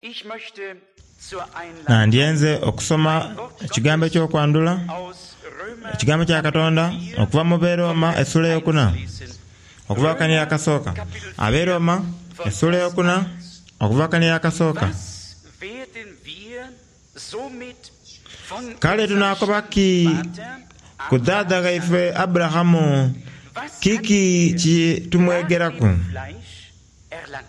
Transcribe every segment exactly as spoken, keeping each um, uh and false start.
Ich möchte zur Einleitung Nandyenze okusoma ein Wort ekigambo Gottes eky'okwandhula, aus Römer ekigambo kya Kapitel Katonda vier okuva mu von Beroma Vers essula eins eyokuna lesen. okuva kani Römer akasooka. Kapitel Ab'e vier Roma von essula Vers eyokuna eins. okuva kani akasooka. Was werden wir somit von Kale unserem tunaakoba ki Stammvater ku dhaadha Abraham ghaife sagen? Aburahamu Was hat kiki er kye nach tumwegeraku? dem Fleisch erlangt?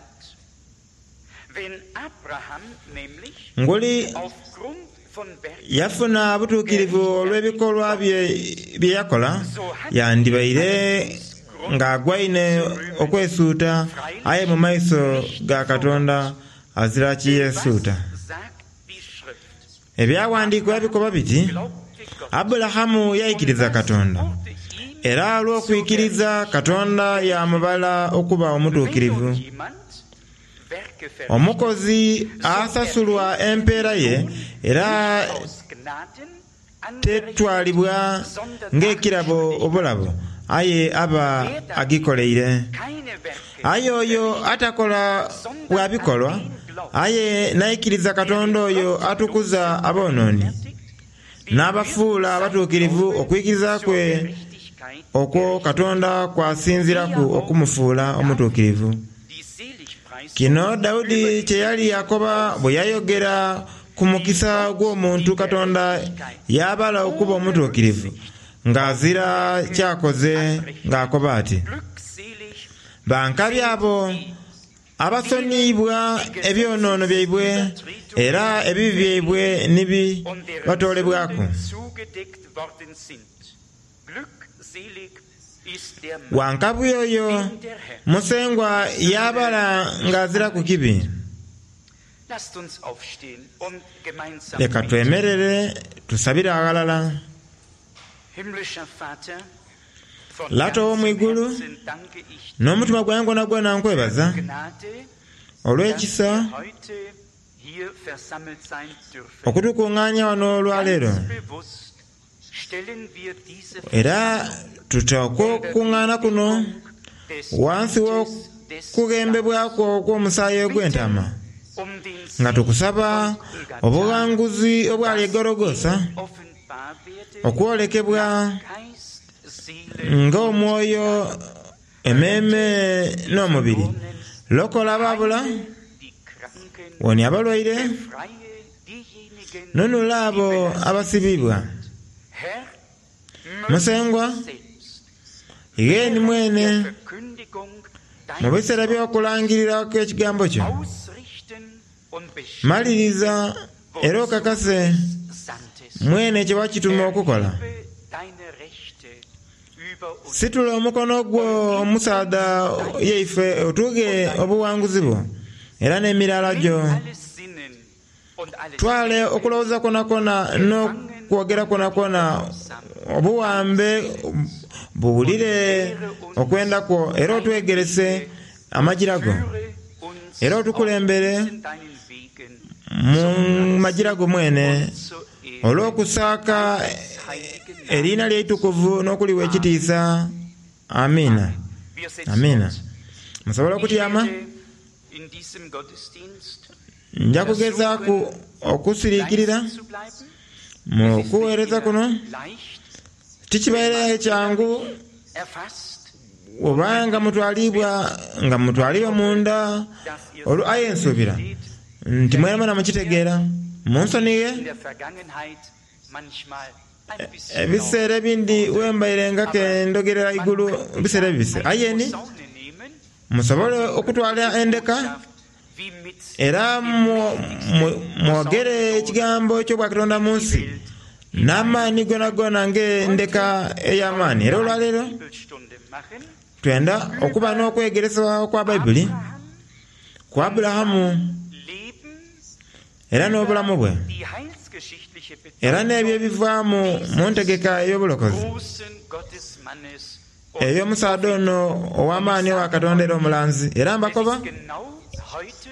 Wenn Abraham nämlich Nguli aufgrund von Werken yafuna obutuukirivu gerechtfertigt olw'ebikolwa worden bye ist, bye yakola, so hat er yandibaire allerdings Grund ng'agwaine zu rühmen, okwesuuta aye freilich mu maiso nicht ga vor Katonda Gott. azira Denn was kiyesuuta. sagt die Schrift? Ebyawandiikibwa bikoba Abraham biti, glaubte Gott, Aburahamu und yaikiriza das Katonda, wurde ihm era zur olw'okwikiriza Gerechtigkeit Katonda gerechnet. yamubala okuba Wenn nun omutuukirivu. jemand Werke verrichtet, Omukozi so asasulwa erhält er den empeera ye Lohn era nicht aus Gnaden angerechnet, tetwalibwa sondern nach ng'ekirabo Schuldigkeit. obulabo, aye aba Wer dagegen agikoleire. keine Werke Aye oyo verrichtet, atakola sondern bwa an bikolwa, den glaubt, aye n'aikiriza der den Katonda oyo atukuza Gottlosen aboonooni, rechtfertigt, dem wird n'abafuula sein abatuukirivu Glaube okwikiriza zur kwe Gerechtigkeit okwo gerechnet, Katonda kw'asinziiraku wie ja auch okumufuula David omutuukirivu. die Seligpreisung Kino über Dawudi die kye yali Gerechten akoba bwe ausspricht, yayogera ku die mukisa Gott gw'omuntu die Katonda Gerechtigkeit y'abala okuba ohne omutuukirivu Rücksicht ng'azira auf Werke ky'akoze anrechnet. ng'akoba ati, Glückselig bankabi sind abo die, denen abasoniyibwa die ebyonoono byaibwe era Gesetzesübertretungen ebibi byaibwe vergeben ni und deren batoolebwaku. Sünden zugedeckt worden sind. Glückselig ist der Mann, Wankabi oyo dem der Herr Musengwa die Sünde y'abala nicht ng'azira ku anrechnet. kibi. Lasst uns aufstehen und gemeinsam Leka beten. twemerere tusabire aghalala. Himmlischer Vater, von Lata ganzem ow'omwigulu, Herzen danke ich dir n'omutima gwange gwonagwona für nkwebaza die Gnade, dass olw'ekisa wir heute hier versammelt sein dürfen. okutukuŋŋaanya wano olwaleero. Ganz bewusst stellen wir diese Era Versammlung tutooke unter die okukuŋŋaana kuno Deckung des wansi Blutes des Lammes. w'okughembebwaku okw'omusaayi ogw'entaama Bitten um den nga Sieg tukusaba von Golgatha, obughanguzi obwali e dass Gologosa er offenbar werde okwolekebwa nach Geist, Seele und ng'omwoyo Leib. emmeeme Rette die n'omubiri. Verlorenen, Lokola abaabula, heile die Kranken, wonya abalwaire, befreie diejenigen, nunula die abo belastet abasibibwa. sind. Herr, möge Musengwa, du selbst igheeni während mwene der Verkündigung mu deines biseera Wortes by'okulangirirako ekigambo kyo, ausrichten und bestimmen, maliriza era wozu du okakase es sandtest. mwene kye wakituma okukola. Erhebe deine Rechte über uns Situla omukono gwo und gib omusaadha uns dein yaife Licht otughe und dein obuwanguzi bwo era n'emiraala Nimm gyo. alle Sinnen und alle Twale Sinne okulowooza kwonakwo gefangen n'okwogera unter den kwonakwo Gehorsam obuwambe deines Willens und buwulire lehre uns okwenda kwo era deine otwegerese Wege, amajira go führe uns era auf otukulembere diesen deinen Wegen mu zum majira Preis go mwene und zur Ehre olw'okusaaka deines heiligen eriina Namens. ly'eitukuvu n'okuliwa Amen. ekitiisa. Amiina. Amen. Wir setzen Amiina. uns. Musobola Ich okutyama? werde in diesem Gottesdienst Nja kugezaaku versuchen, okusiriikirira leise zu bleiben. mu Es ist nicht kuweereza immer kuno. leicht, wenn Tikibaire man kyangu innerlich erfasst und obanga bewegt mutwalibwa wird. nga Aber ich mutwalibwa hoffe, munda dass ihr olwo aye es nsuubira versteht. nti mwenamwena Vergebt mir, mukitegeera dass munsoniye ich in der Vergangenheit manchmal ein bisschen laut ebiseera ebindi wurde. wembaire nga Aber kendogerera man igulu könnte biseera ja ebibise eine aye ni Posaune nehmen musobole und die okutwala göttliche endeka Botschaft wie mit era dem mwo- mwo- mächtigsten mwogere Posaunenton ekigambo eky'obwakatonda in mu die nsi Welt n'amaanyi hinein. gonagona ng'endeka Heute ey'amaanyi wollen era wir eine olwaleero Bibelstunde machen twenda okuba über n'okwegeresebwa kwa Bayibuli Abraham ku und Aburahamu sein Leben, era über n'obulamu bwe die heilsgeschichtliche era n'ebyo Bedeutung ebivaamu mu dieses ntegeka ey'obulokozi großen Gottesmannes und ey'omusaadha Propheten. ono Und ich ow'amaanyi owa sage Katonda era euch, omulanzi era es mbakoba ist genau heute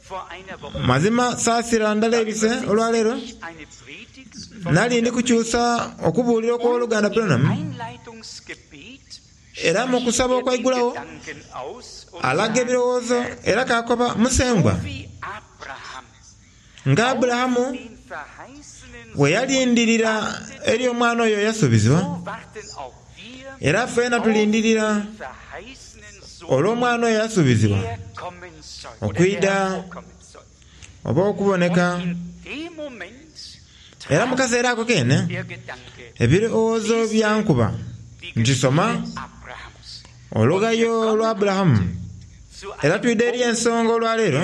vor einer Woche mazima saasira ndala Da ebise übersetze olwaleero ich eine Predigt von nali ndi Bruder kukyusa Branham okubuulira und okw'oluganda im Branham Einleitungsgebet era mu spricht kusaba er den okwaigulawo Gedanken aus und alaga sagt, ebirowoozo Herr, era kakoba so musengwa wie Abraham Nga Aburahamu bwe yalindirira eri omwana oyo eyasuubizibwa, era ffena tulindirira olw'omwana oyo eyasuubizibwa okwidha oba okuboneka. Era mu kaseera ako kene ebirowoozo byankuba nti soma olugayo lwa Aburahamu. Era twidha eri ensonga olwaleero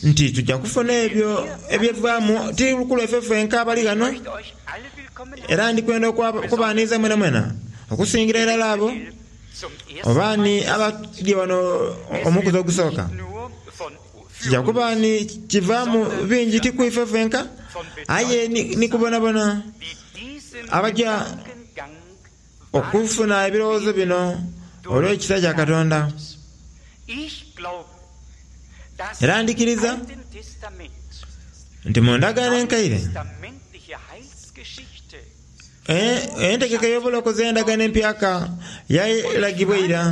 nti tujja kufuna ebyo ebyevaamu ti ku lwaife fenka abali ghano. Era ndikwenda okubaaniza mwenamwena okusingira irala abo oba ni abali wano omukuzi ogusooka. Kijja kuba ni kivaamu bingi ti ku ife fenka aye ni kubonabona abajja okufuna ebirowoozo bino olw'ekisa kya Katonda. Era ndikiriza nti mu ndagaano enkaire entegeka ey'obulokozi ey'endagaano empyaka yalagibwa ira.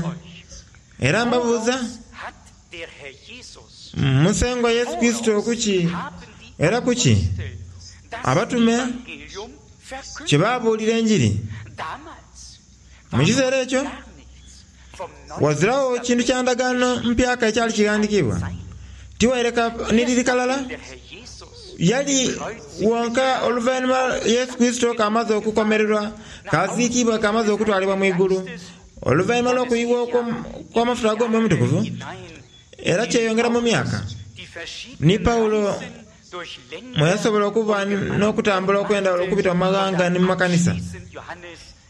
Era mbabuuza, Musengwa Yesu Kristo kuki era kuki abatume kye baabuulira enjiri? Mu kiseera ekyo wazirawo kintu kya ndagaano mpyaka ekyali kighandikiibwa. Tiwaireka ni liri kalala yali wonka oluvannyuma Yesu Kristo k'amaze okukomererwa, k'aziikibwa, k'amaze okutwalibwa mu igulu, oluvannyuma lw'okuyibwa okw'amafuta ag'Omwoyo Omutukuvu. Era kyeyongera mu myaka ni Pawulo mwe yasobola okuba n'okutambula okw'endawulo okubita mu maghanga ni mu makanisa.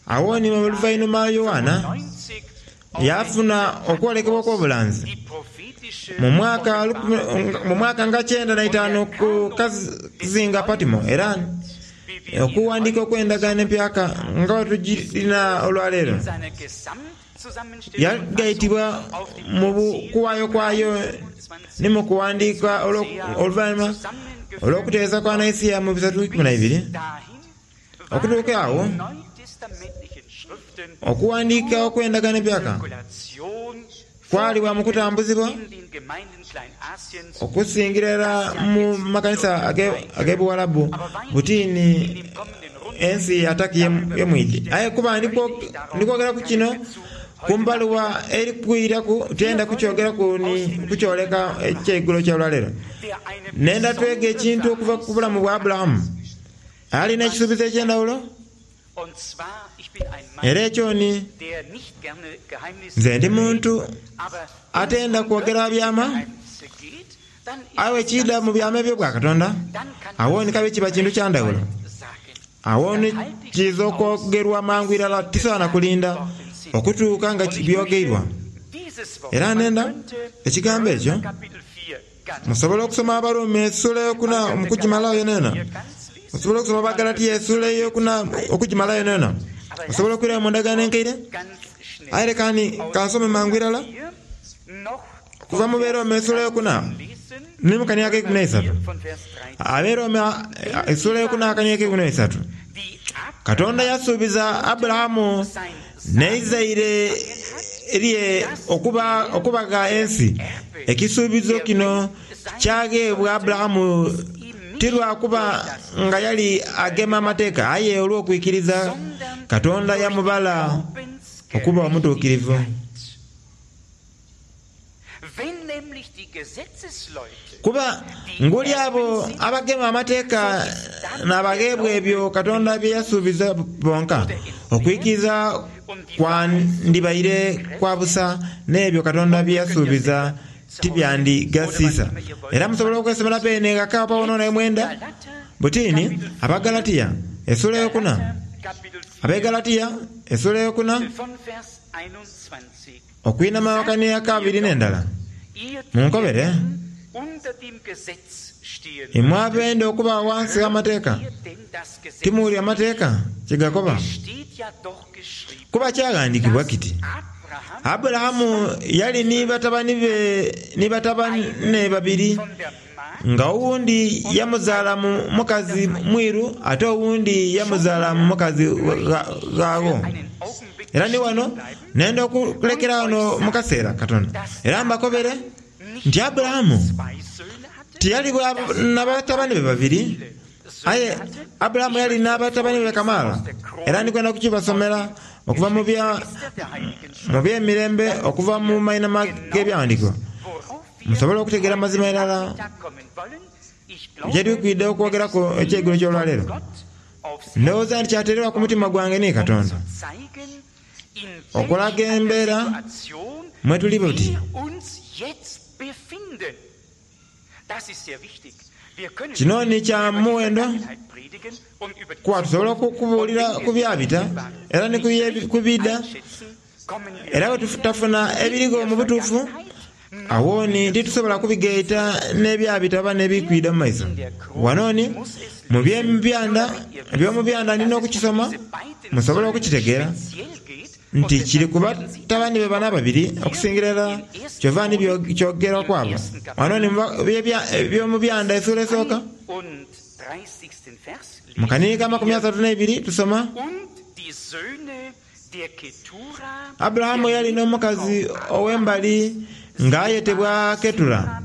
Awo ni oluvannyuma Yowaana yafuna okwolekebwa okw'obulanzi mu mwaka mu mwaka nga kyenda na itaanu ku kazinga Patimo. Era okuwandiika okw'endagaano empyaka nga bwe tugirina olwaleero yagaitibwa mu kuwaayo kwayo ni mu kuwandiika oluvannyuma olw'okuteesa kwa Naisiya mu bisatu ikumi na ibiri. Okutuuka awo okuwandiika okw'endagaano empyaka kwalibwa mu kutambuzibwa okusingira irala mu makanisa ag'ebuwalabu butini ensi ya Turkey ye mwidhi. Aye kuba ndikwogeraku kino ku mbaluwa eri kwiraku, tyenda kukyogeraku ni kukyoleka ekyeigulo ky'olwaleero. Nenda twege ekintu okuva ku bulamu bwa Aburahamu. Alina ekisuubizo eky'endawulo, era ekyo ni nze ndi muntu atenda kwogera byama, aye ekiidha mu byama eby'obwa Katonda, awo ni kabe kiba kintu kya ndawulo. Awo ni kiiza okwogerwa mangu irala, tisaana kulinda okutuuka nga byogeirwa. Era nenda ekigambo ekyo musobola okusoma Abaruumi essuula eyokuna okugimalayo yonayona. Osobola okusoma Abagalatiya essuula eyokuna okugimalayo yonayona. Osobola okwirayo mu ndagaano enkaire. Aye leka ni kansome mangu irala okuva mu Beroma essuula eyokuna ni mu kania ak'eikumi n'eisatu. Aberoma essuula eyokuna akania ak'eikumi n'eisatu. Katonda yasuubiza Aburahamu n'eizaire lye okuba okubagha ensi. Ekisuubizo kino kyagheebwa Aburahamu ti lwa kuba nga yali agema amateeka, aye olw'okwikiriza Katonda yamubala okuba omutuukirivu. Kuba nguli abo abagema amateeka n'abagheebwa ebyo Katonda bye yasuubiza bonka, okwikiriza kwandibaire kwa busa, n'ebyo Katonda bye yasuubiza tibyandigasiisa. Era musobola okwesomera beene ghaka oba wonawona ye mwenda. Butini Abagalatiya essuula eyokuna, Abegalatiya essuula eyokuna okwinhama akania akabiri n'endala. Munkobere, imwe abenda okuba ghansi gh'amateeka, timuwulira amateeka kye gakoba? Kuba kyaghandiikibwa kiti, Aburahamu yali ni batabani be ni batabane babiri, nga owundi yamuzaala mu mukazi mwiru ate owundi yamuzaala mu mukazi ghagho. Era ni wano nenda okulekera wano mu kaseera katono era mbakobere nti Aburahamu Tiyali n'abatabani be babiri, aye Aburahamu yali n'abatabani be kamaala, era ndikwenda kukibasomera okuva mu by'emirembe, okuva mu maina g'ebyawandiikibwa, musobole okutegeera amazima irala gye tukwidde okwogeraku ekyeigulo ky'olwaleero. Ndowooza nti kyateererwa ku mutima gwange ni Katonda okulaga embeera mwe tuli buti. Kino ni kya muwendo kuba tusobola okubuulira ku byabita era ni ku bidda, era bwe tutafuna ebirigho mu butuufu awo ni titusobola kubigaita n'ebyabita oba n'ebikwida mu maiso. Wano ni mu by'omubyanda eby'omubyanda ndina okukisoma musobole okukitegeera nti kiri ku batabani be bano ababiri okusingira irala kyova ni kyogerwa kwabo. Wano ni eby'omubyanda essuula esooka mu kanini ka makumi asatu n'eibiri tusoma Aburahamu yali n'omukazi ow'embali ng'ayetebwa Ketura,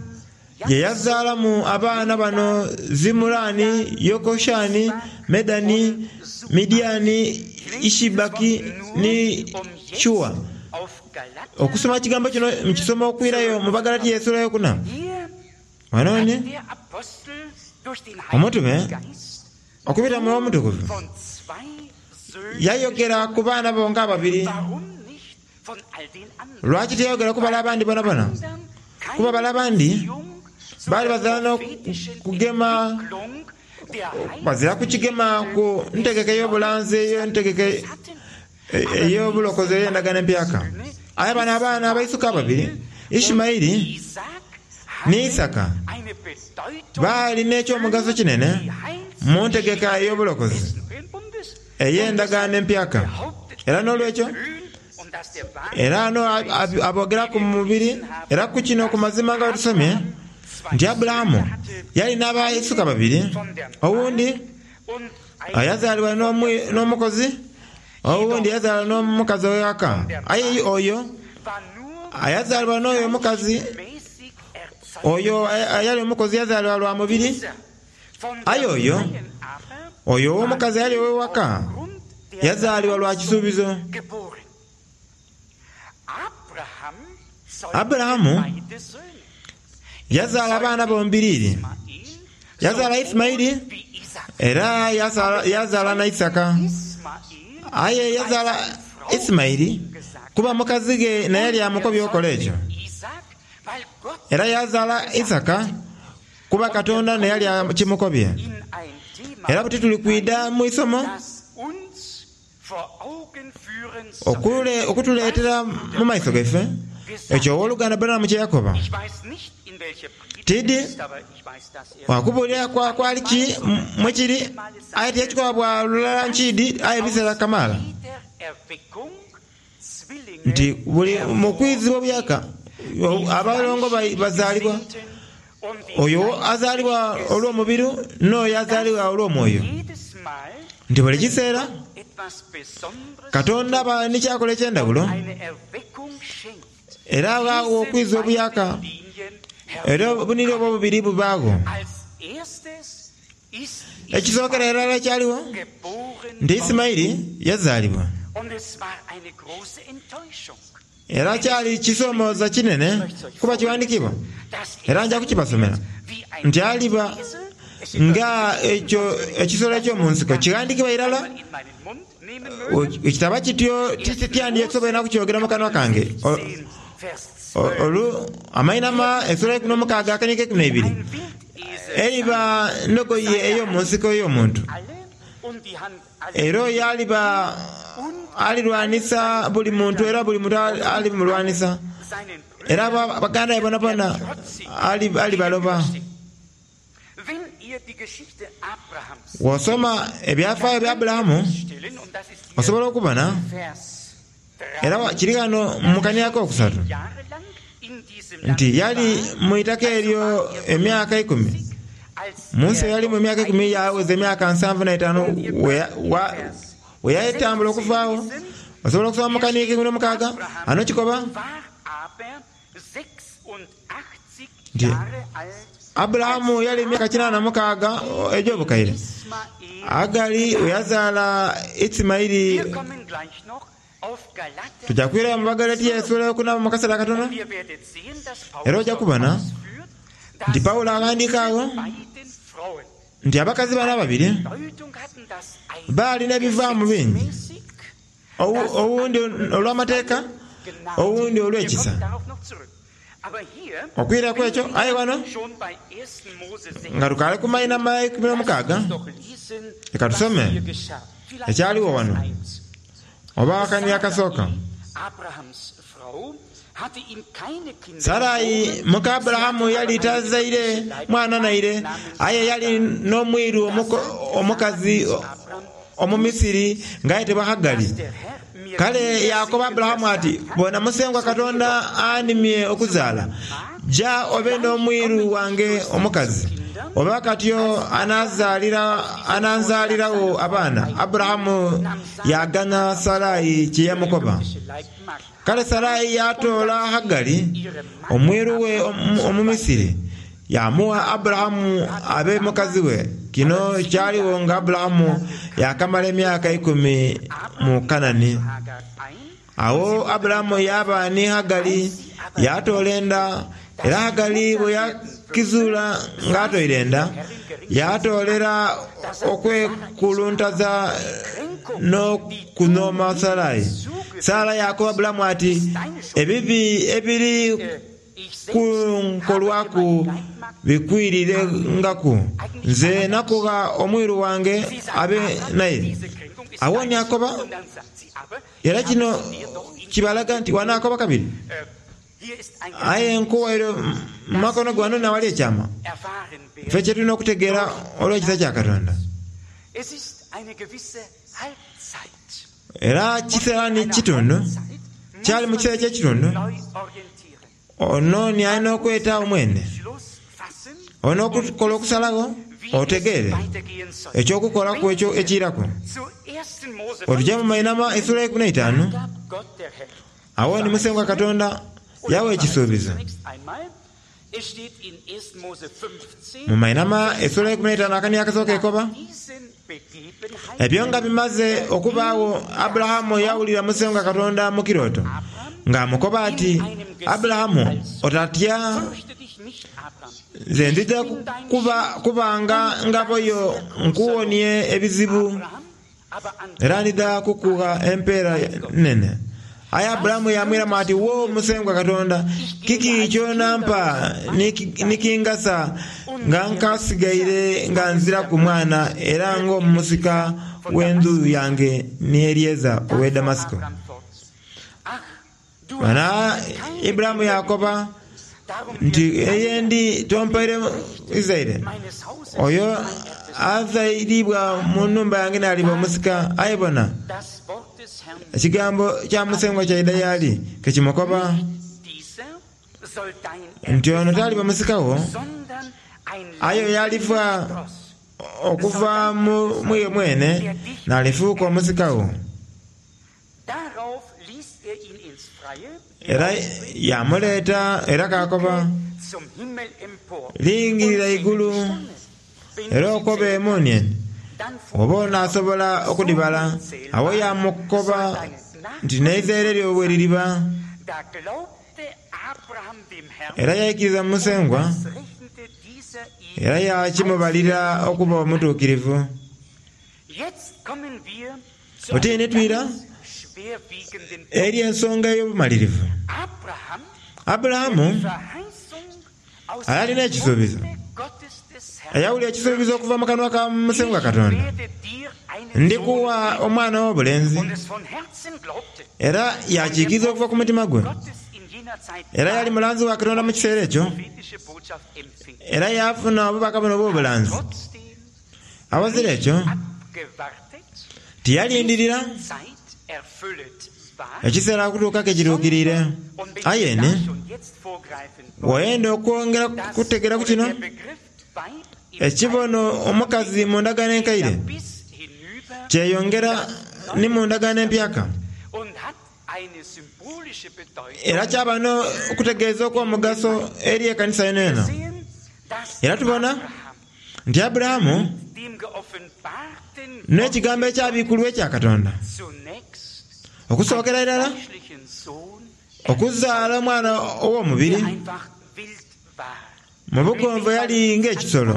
ye yazaalamu abaana bano Zimurani, Yokoshani, Medani, Midiani, Ishibaki ni Shuwa. Okusoma ekigambo kino mukisoma okwirayo mu Bagalatiya essuula eyokuna. Wano ni omutume okubita mu Omutukuvu yayogera ku baana bonka ababiri. Lwaki tiyayogera ku bale abandi bonabona? Kuba bale abandi baali bazira n'okugema, bazira kukigema ku ntegeka ey'obulanzi, ey'entegeka ey'obulokozi ey'endagaano empyaka. Aye bano abaana abaisuka ababiri, Ishimaeli ni Isaka, baali n'ekyomugaso kinene mu ntegeka ey'obulokozi ey'endagaano empyaka. Era n'olwekyo era ano aboogeraku mu mubiri, era ku kino ku mazima nga bwe tusomye nti Aburahamu yali n'abaisuka babiri, owundi yazaalibwa n'omukozi, owundi yazaalibwa n'omukazi ow'ewaka. Aye oyo ayazaalibwa n'oyo omukazi, oyo ayali omukozi yazaalibwa lwa mubiri, aye oyo oyo ow'omukazi ayali ow'ewaka yazaalibwa lwa kisuubizo. Aburahamu yazaala abaana bombiriri, yazaala Isimaili era yazaala na Isaka. Aye yazaala Isimaili kuba mukazi ghe naye yali amukobye okola ekyo, era yazaala Isaka kuba Katonda naye yali akimukobye. Era buti tuli kwida mu isomo okutuleetera mu maiso gaife ekyo ow'oluganda Branham kye yakoba. Tidi wakubuulira kwali ki mwekiri, aye tiyakikoba bwa lulala nkiidi, aye ebiseera kamaala nti buli mu kwizibwa obuyaaka abalongo bazaalibwa, oyo azaalibwa olw'omubiri n'oyo azaalibwa olw'omwoyo, nti buli kiseera Katonda aba ni kyakola eky'endawulo era aghagho okwiza obuyaaka, era obuniri obwo obubiri bubaagho. Ekisookera irala ekyaligho nti Isimaili yazaalibwa, era kyali kisomooza kinene kuba kiwandiikibwa, era nja kukibasomera nti aliba nga ekyo ekisolo eky'omunsiko kighandiikibwa irala. Ekitaba kityo tityandisoboire kukyogera mu kanwa kange. Olu amainama essuula eikumi n'omukaaga akanyika eikumi n'eibiri, eriba ndogoyi ey'omunsiko ey'omuntu, era oyo aliba alirwanisa buli muntu, era buli muntu alimulwanisa, era baganda be bonabona alibaloba. Bw'osoma ebyafaayo bya Aburahamu osobola okubona, era kiri ghano mu kania akokusatu, nti yali mu itaka eryo emyaka ikumi. Mu nsi yalimu emyaka ikumi, yaweza emyaka nsanvu na itaanu we yayetambula okuvaagho. Osobola okusoma mu kania ek'eikumi n'omukaaga ano kikoba nti Aburahamu yali emyaka kinaana mukaaga egy'obukaire. Agali we yazaala Isimaili. Tujja kwirayo mu Bagalatiya essuula ey'okuna mu kaseera katono. Era ojja kubona nti Pawulo aghandiika agho nti abakazi bano ababiri baalina ebivaamu bingi, owundi olw'amateeka, owundi olw'ekisa. Okwiraku ekyo, aye wano nga tukaali ku mainhama eikumi n'omukaaga, leka tusome ekyaliwo wano oba akani akasooka. Sarai muka Aburahamu yali tazaire mwana naire, aye yali n'omwiru omukazi Omumisiri ng'ayetebwa Hagali. Kale yaakoba Aburahamu ati, "Bona, Musengwa Katonda animye okuzaala. Ja obe n'omwiru wange omukazi, oba katyo ananzaaliragho abaana." Aburahamu yaganha Sarai kye yamukoba. Kale Sarai yatoola Hagali omwiru we Omumisiri, yamugha Aburahamu abe mukazi we. Kino kyaligho nga Aburahamu yaakamala emyaka ikumi mu Kanani. Agho Aburahamu yaaba ni Hagali, yatoola enda, era Hagali bwe yakizuula ng'atoire enda, yatoolera okwekuluntaza n'okunhooma Sarai. Sarai yaakoba Aburahamu ati, "Ebibi ebiri kunkolwaku bikwirirengaku. Nze nakugha omwiru wange abe naye." Agho ni akoba, era kino kibalaga nti wanaakoba kabiri, aye nkuwaire mu makono ge wano nawali ekyama. Ffe kye tulina okutegeera olw'ekisa kya Katonda. Era kiseera ni kitundu, kyali mu kiseera eky'ekitundu, ono ni alina okweta omwene, olina okukola okusalagho otegeere eky'okukolaku ekyo ekiiraku. Otuje mu mainhama essuula eikumi n'eitaanu, agho ni Musengwa Katonda yawa ekisuubizo. Mu mainhama essuula eikumi n'eitaanu akani akasooka ekoba, ebyo nga bimaze okubaagho, Aburahamu yawulira Musengwa Katonda mu kirooto ng'amukoba ati, "Aburahamu, otatya, nze nzija kubanga ngabo yo nkuwonie ebizibu, era ndidha kukugha empeera nene." Aye Aburahamu yamwiramu ati, "Wo Musengwa Katonda, kiki ky'onampa ni kingasa nga nkasigaire nga nziraku mwana era ng'omusika w'endhu yange ni Elieza ow'e Damasiko?" Bana Ibulayimu yakoba nti, "Eyendi tompaire izaire, oyo azairibwa mu nhumba yange n'aliba omusika." Aye bona, ekigambo kya Musengwa kyaidha y'ali ke kimukoba nti, "Ono taliba musika wo, aye oyo aliva okuva mu iwe mwene n'alifuuka omusika wo." Era yamuleeta era kaakoba, "Lingirira igulu era okobe emuunienie, oba onaasobola okudhibala." Agho yamukoba nti, "N'eizaire lyo bwe liriba." Era yaikiriza mu Musengwa, era yakimubalira okuba omutuukirivu. Buti twira eri ensonga ey'obumalirivu. Aburahamu ayalina ekisuubizo, eyawulira ekisuubizo okuva mu kanwa ka Musengwa Katonda, "Ndikuwa omwana ow'obulenzi." Era yakiikiriza okuva ku mutima gwe. Era yali mulanzi wa Katonda mu kiseera ekyo, era yafuna obubaka buno obw'obulanzi. Awazira ekyo tiyalindirira ekiseera okutuuka ke kituukiriire. Aye ni bw'oyenda okwongera kutegeera ku kino, ekibono omukazi mu ndagaano enkaire kyeyongera ni mu ndagaano empyaka. Era kyaba n'okutegeeza okw'omugaso eri ekanisa yonayona. Era tubona nti Aburahamu n'ekigambo ekyabikulwa ekya Katonda okusookera irala okuzaala omwana ow'omubiri mu bugonvu yali ng'ekisolo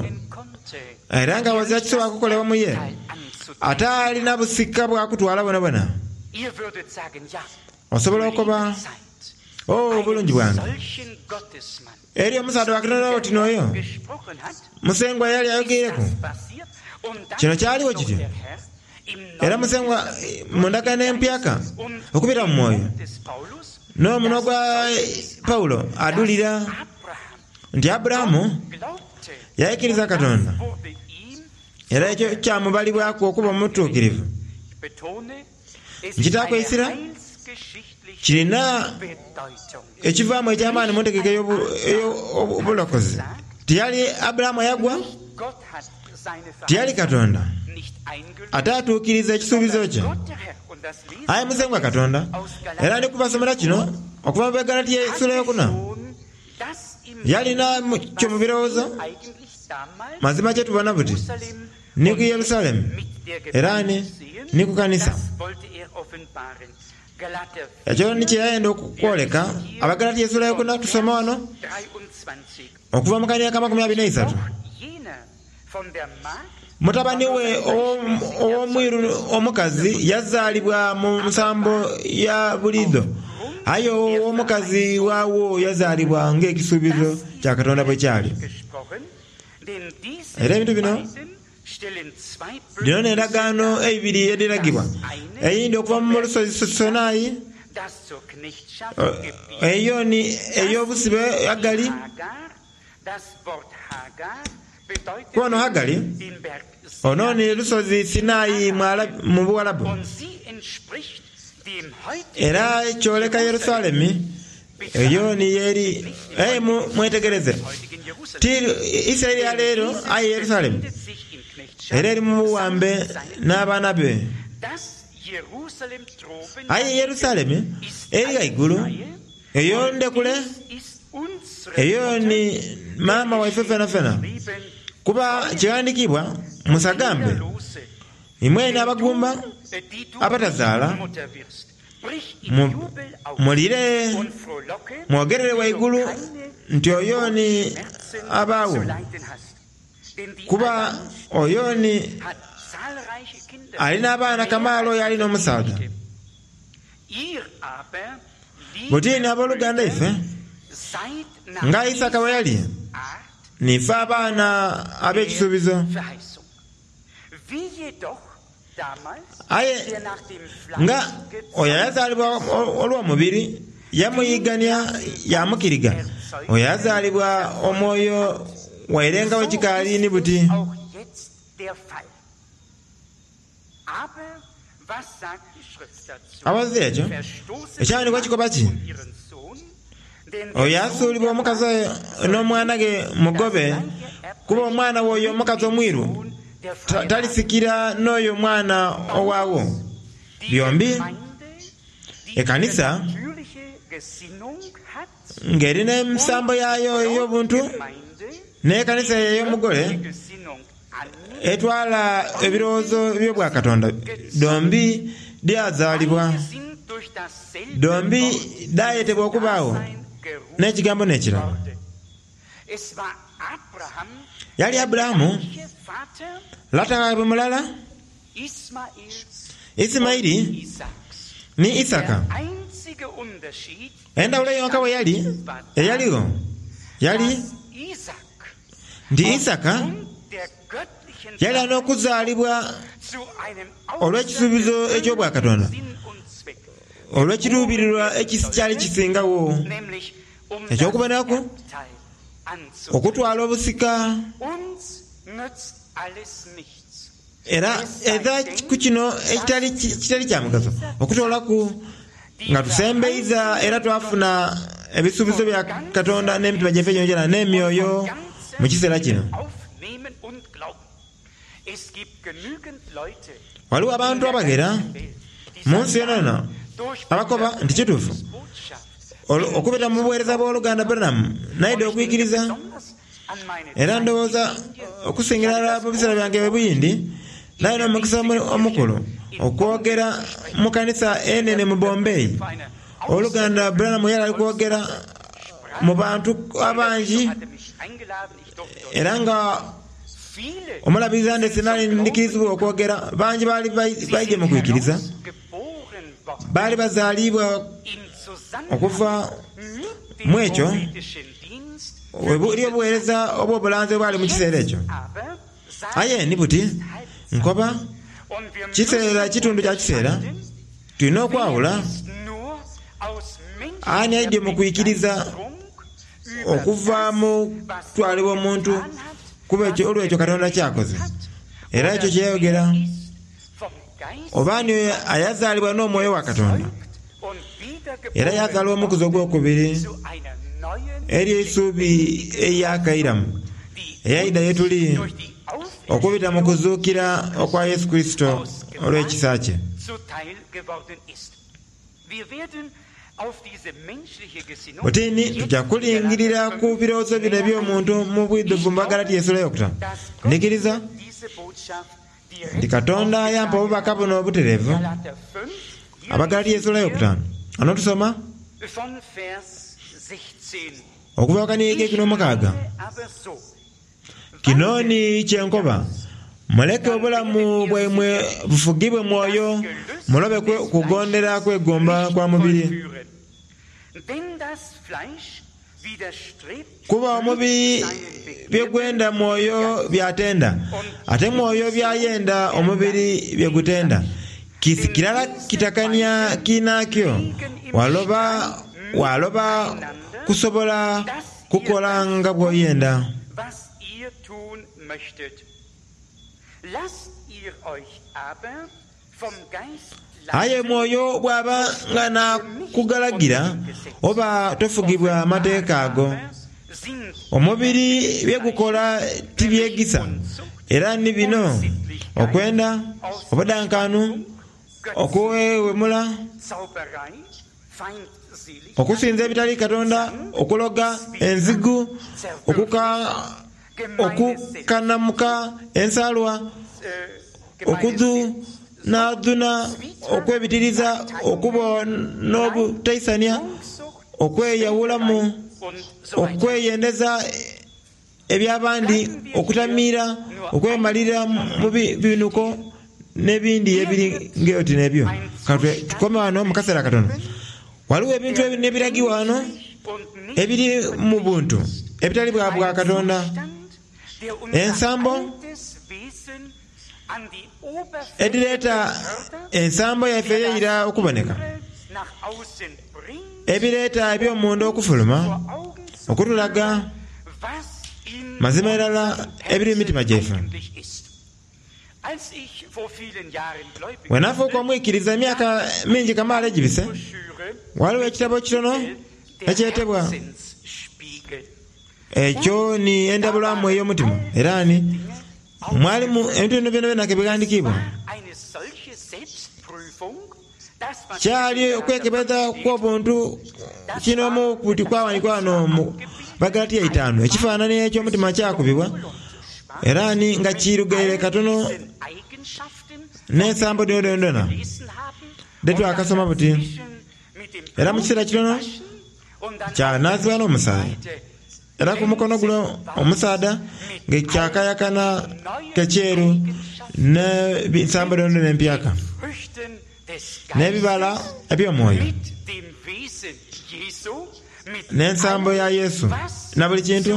era nga wazira kisobola kukolebwa mu ye ate alina busika bwakutwala bwonabwona. Osobola okuba oh obulungi bwange eri omusaadha wa Katonda oti n'oyo Musengwa yali ayogeireku. Kino kyaliwo kityo era Musengwa mu ndagaano empyaka okubira mu mwoyo n'omunwa gwa Pawulo adulira nti Aburahamu yaikiriza Katonda era ekyo kyamubalibwaku okuba omutuukirivu. Nkitakwesira kirina ekivaamu eky'amaani mu ntegeka ey'obulokozi. Tiyali Aburahamu ayagwa, tiyali Katonda ate atuukiriza ekisuubizo kye. Aye Musengwa Katonda, era ndi kubasomera kino okuva mu Begalatiya essuula eyokuna, yalina kyo mu birowoozo mazima kye tubona buti ni ku Yerusalemu era ni ni ku kanisa. Ekyo ni kye yayenda okwoleka. Abagalatiya essuula eyokuna tusoma wano okuva mu kania ka makumi abiri n'eisatu. Mutabani we ow'omwiru omukazi yazaalibwa mu nsambo ya buliidho, aye ow'omukazi waawo yazaalibwa ng'ekisuubizo kya Katonda bwe kyali. Era ebintu bino dhino n'endagaano eibiri edhiragibwa, eyindi okuva mu lusozi Sinai, eyo ni ey'obusibe Agali. Kuwano Hagali ono ni lusozi Sinai mu Buwalabu, era kyoleka Yerusalemi eyo ni yeri. Aye mwetegereze, ti Isiraeli ya leero, aye Yerusalemu era eri mu buwambe n'abaana be. Aye Yerusalemu eri ghaigulu eyo ndekule, eyo ni maama waife fena fena. Kuba kighandikibwa musagambe imwene abagumba abatazaala, mulire mwogerere waigulu nti oyo ni abaawo, kuba oyo ni alina abaana kamaala oyo alina omusaadha. Butini abooluganda ife nga Isaka bwe yali, nife abaana ab'ekisuubizo. Aye nga oyo ayazaalibwa olw'omubiri yamuyigania yamukiriga, oyo ayazaalibwa omwoyo waire nga bwe kikaali ni buti. Abazi ekyo ekyawandiikibwa kikoba ki? Oyo asuulibwa omukazi n'omwana ghe mugobe, kuba omwana w'oyo omukazi omwiru talisikira n'oyo omwana owaawo. Byombi ekanisa ng'erina emisambo yaayo ey'obuntu n'ekanisa ey'omugole etwala ebirowoozo eby'obwakatonda dhombi dyazaalibwa, dhombi dhayetebwa okubaagho n'ekigambo n'ekirala. Yali Aburahamu lata waibwe mulala, Isimaili ni Isaka. Endawulo yonka bwe yali eyaligho yali nti Isaka yali alina okuzaalibwa olw'ekisuubizo eky'obwakatonda, olw'ekiruubirirwa ekikyali kisingawo eky'okubonaku okutwala obusika. Era edha ku kino ekitali kitali kya mugaso okutwalaku nga tusembeiza era twafuna ebisuubizo bya Katonda n'emitima gyaife gyongyona n'emyoyo mu kiseera kino. Waliwo abantu abaghera mu nsi yonayona abakoba nti kituufu okubita mu buweereza bw'oluganda Branham naidha okwikiriza, Era ndowooza okusingira ddala mu biseera byange ebuyindi, nalina omukisa omukulu okwogera mu kanisa enene mu Bombay. Oluganda Branham yali ali kwogera mu bantu abangi, era nga omulabiriza ndese nali ndikirizibwa okwogera, bangi baali baije mu kwikiriza, baali bazaalibwa okuva mu ekyo eri obuweereza obw'obulanzi obwali mu kiseera ekyo. Aye ni buti nkoba kiseera kitundu kya kiseera tulina okwawula ani aidye mu kwikiriza okuva mu kutwalibwa omuntu kuba ekyo olwekyo Katonda kyakoze era ekyo kyeyayogera, oba ani ayazaalibwa n'omwoyo wa Katonda era yazaalibwa omukuzi ogwokubiri eri eisuubi eyakairamu eyaida yetuli okubita mu kuzuukira okwa Yesu Kristo olw'ekisa kye. Butini tujja kulingirira ku birowoozo bino eby'omuntu mu bwidhuvu mu Bagalatiya essula eyokutaano. Ndikiriza nti Katonda yampa obubaka buno obutereevu. Abagalatiya essula eyokutaano ano tusoma okuva ku kikumi n'omukaaga. Kino ni kyenkoba, muleke obulamu bwaimwe bufugibwe mwoyo, mulobe kugondera kwegomba kwa mubiri. Kuba omubiri byegwenda mwoyo byatenda, ate mwoyo byayenda omubiri byegutenda. Kisi kirala kitakania kinakyo, waloba waloba kusobola kukola nga bw'oyenda. Aye mwoyo bw'aba nga nakugalagira, oba tofugibwa mateeka ago. Omubiri byegukola tibyegisa, era ni bino: okwenda, obudankanu, okuwewemula, okusinza ebitali Katonda, okuloga, enzigu, okuka okukanamuka ensalwa, okudhunadhuna okwebitiriza, okuba n'obutaisania, okweyawulamu, okweyendeza eby'abandi, okutamiira, okwemalira mu binuko n'ebindi ebiri ng'oti n'ebyo. Tukome wano mu kaseera katono. Waliwo ebintu n'ebiragiwa wano ebiri mu buntu ebitali bwa bwa Katonda. Ensambo edhireeta ensambo yaife eyeira okuboneka, ebireeta eby'omunda okufuluma, okutulaga mazima irala ebiri mu mitima gyaife. Wenafuuka omwikiriza emyaka mingi kamaala egibise, waliwo ekitabo kitono ekyetebwa ekyo ni endabulwamu ey'omutima, era ni mwalimu ebintu bino byona kebighandikibwa. Kyali okwekebeza kw'obuntu kinomu kuti kwawandikwa wano mu Bagalatiya itaanu. Ekifaananyi eky'omutima kyakubibwa era ni nga kirugaire katono n'ensambo dhino dhonadhona dhetwakasoma buti. Era mu kiseera kitono kyanaazibwa n'omusaayi, era ku mukono guno omusaadha nga kyakayakana kekyeru n'ensambo dhonadhona empyaka n'ebibala eby'omwoyo n'ensambo ya Yesu na buli kintu.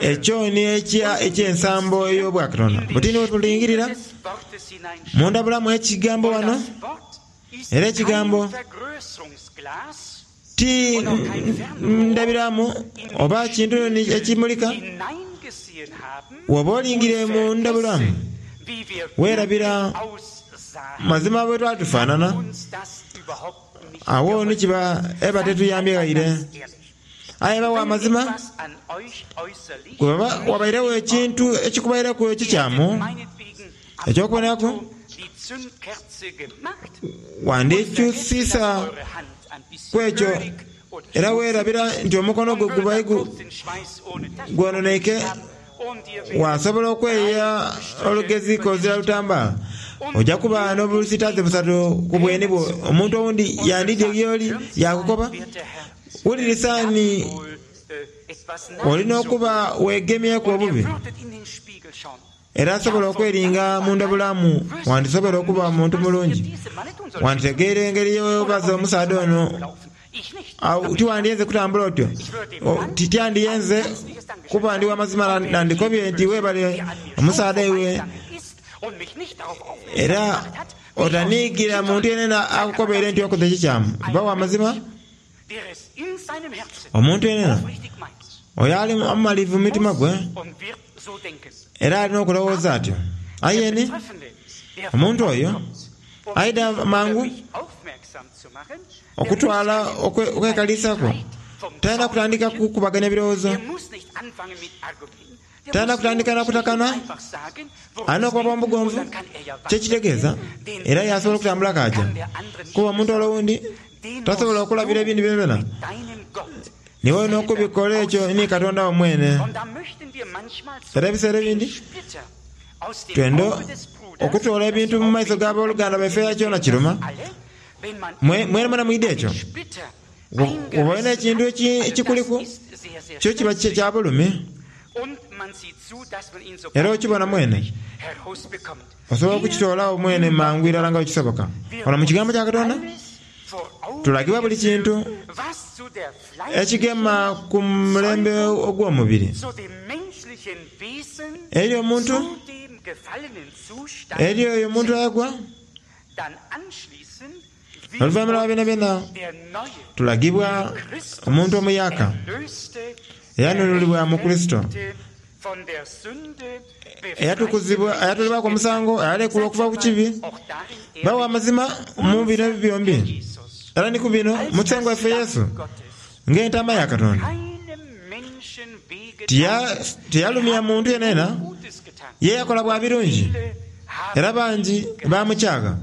Ekyo ni eky'ensambo ey'obwakatonda. Butini bwetulingirira munda bulamu ekigambo wano, era ekigambo ti ndabiramu oba kintu ekimulika. Woba olingire mu ndabulamu weerabira mazima bwe twali tufaanana. Awo ni kiba eba tetuyambye ghaire. Aye bawa amazima, bwebaba wabairewo ekintu ekikubaireku ekikyamu eky'okuboneraku, wandikyusisa ku ekyo Era weerabira nti omukono gwo gubaire gwononeike, wasobola okweya olugezi kozira lutambaala, ojja kuba n'obusitaze busatu ku bweni bwo. Omuntu owundi yandidye gy'oli yakukoba, wulirisaani olina okuba weegemyeku obubi. Era asobola okweringa munda bulamu, wandisobola okuba muntu mulungi. Wanditegeera engeri y'obaza omusaadha ono, tiwandiyenze kutambula otyo. Tityandiyenze kuba ndi wamazima nandikobye nti weebale omusaadha iwe. Era otaniigira muntu yenena akukobeire nti okoze ekikyamu. Ba wamazima, omuntu yenena oyo ali omumalivu mu mutima gwe, era alina okulowooza atyo. Aye ni omuntu oyo aidha mangu okutwala okwekaliisako, talina kutandika kukubaganya birowoozo, talina kutandika na kutakana, alina okuba omugonvu kyekitegeeza, era yasobola okutambula kaja. Kuba omuntu ole owundi tasobola okulabira ebintu byonabyona, niwe olina okubikola ekyo ni Katonda wo mwene. Era ebiseera ebindi twenda okutoola ebintu mu maiso g'abooluganda baife kyona kiruma. Mwene mwena mwidhi ekyo. Oba olina ekintu ekikuliku, kyo kiba kya bulumi. Era okibona mwene, osobola okukitoolagho mwene mangu irala nga bwekisoboka. Wano mu kigambo kya Katonda tulagibwa buli kintu ekigema ku mulembe ogw'omubiri. Eri omuntu, eri oyo omuntu ayagwa, oluvannyuma lwa byonabyona tulagibwa omuntu omuyaka eyanunulibwa mu Kurisito, eyatukuzibwa, eyatolebwaku omusango, eyalekulwa okuva ku kibi. Bawa amazima mu bino byombi, era ni ku bino Musengwa waffe Yesu ng'entama ya Katonda. Tiyalumya muntu yenayena, ye yakola bwa birungi, era bangi bamukyaga,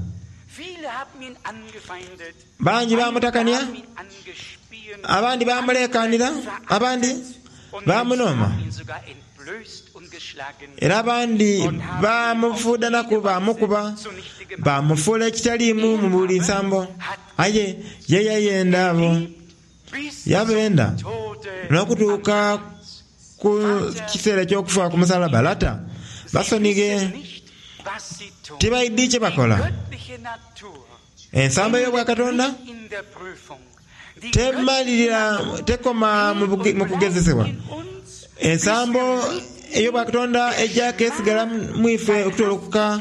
bangi bamutakania, abandi bamulekanira, abandi bamunoma, era abandi bamufuudanaku, bamukuba, bamufuula ekitaliimu mu buli nsambo. Aye ye yayenda abo, yabenda n'okutuuka ku kiseera eky'okufa ku musalaba. Lata basonighe, tibaidhi kye bakola. Ensambo ey'obwakatonda temalirira, tekoma mu kugezesebwa. Ensambo ey'obwakatonda ejja kesigala mu ife okutoloka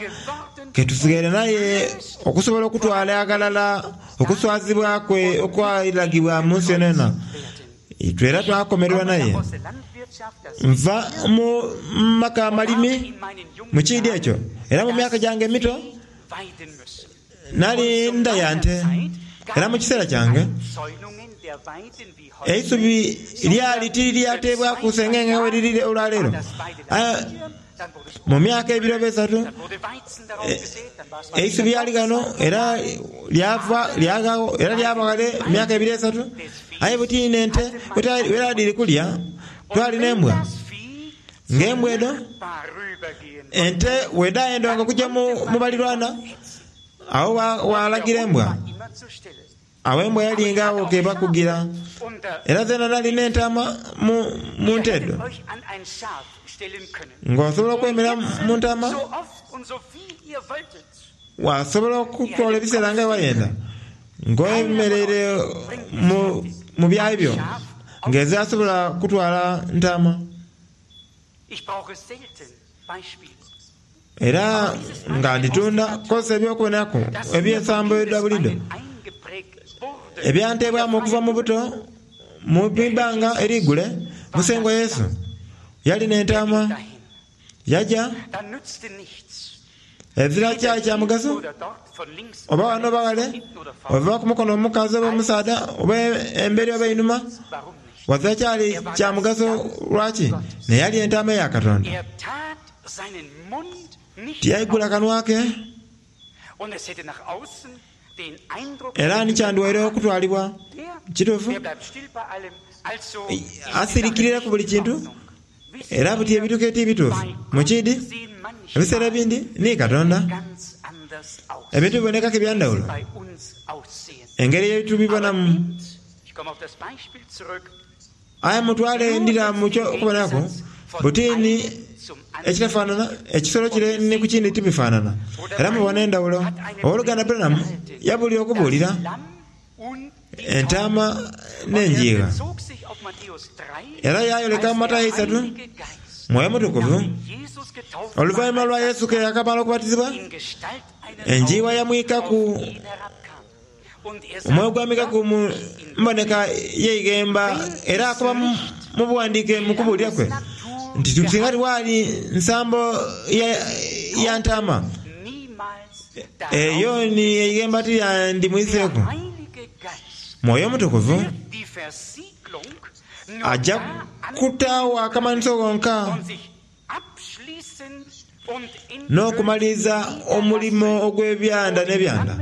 ketusigaire naye okusobola okutwala aghalala okuswazibwa kwe okwalagibwa mu nsi yonayona. Itwe era twakomererwa naye. Nva mu maka amalimi mu kiidi ekyo, era mu myaka gyange emito nali ndaya nte. Era mu kiseera kyange eisubi lyali tiriryateebwaku sengenge we liri olwaleero. Mu myaka ebiri oba esatu eisubi lyali ghano era lyava lyaghawo era lyaba ghale emyaka ebiri esatu. Aye buti n'ente wera dhiri kulya, twali n'embwa. Ng'embwa edho ente wedhayendanga okujja mu balirwana, awo walagira embwa. Awo embwa yalinga awo kebakugira. Era zena nali n'entama mu nte edho, ng'osobola okwemera mu ntama, wasobola okutwala ebiseera nga wayenda, ng'oyemereire mu byayi byo, ng'eze asobola kutwala ntama. Era nga nditunda kozesa eby'okubonaku eby'ensambo edha buliidho ebyantebwamu okuva mu buto mu ibanga erigule. Musengwa Yesu yali n'entama, yaja ezira kyali kya mugaso, oba wano oba ghale, ova ku mukono omukazi oba omusaadha, oba emberi oba einhuma, wazira kyali kya mugaso. Lwaki? Naye yali entama eya Katonda. Tiyaigula kanwa ke, Era ni kyandiwaire okutwalibwa. Kituufu? Asirikirira ku buli kintu, era buti ebintu ke ti bituufu. Mukidi, ebiseera ebindi ni Katonda. Ebintu bibonekaku ebyandawulo, engeri yetubibonamu. Aye mutwale ndira mu ky'okubonaku, buti ni ekitafaanana, ekisolo kire ni ku kindi tibifaanana. Era mubona endawulo. Ow'oluganda Branham yabuulira okubuulira entaama n'enjiigha. Era yayoleka mu Matayo isatu, Mwoyo Mutukuvu, oluvannyuma lwa Yesu ke yakamala okubatizibwa, enjiibwa yamwikaku, omwoyo gwamwikaku mu mboneka y'eighemba, era akoba mu buwandiike mu kubuulira kwe nti singa tiwaali nsambo ya, ya ntaama eyo ni eighemba tiryandimwiseeku. Mwoyo Mutukuvu ajja kutaawo akamanhiso gonka n'okumaliriza omulimo ogw'ebyanda n'ebyanda.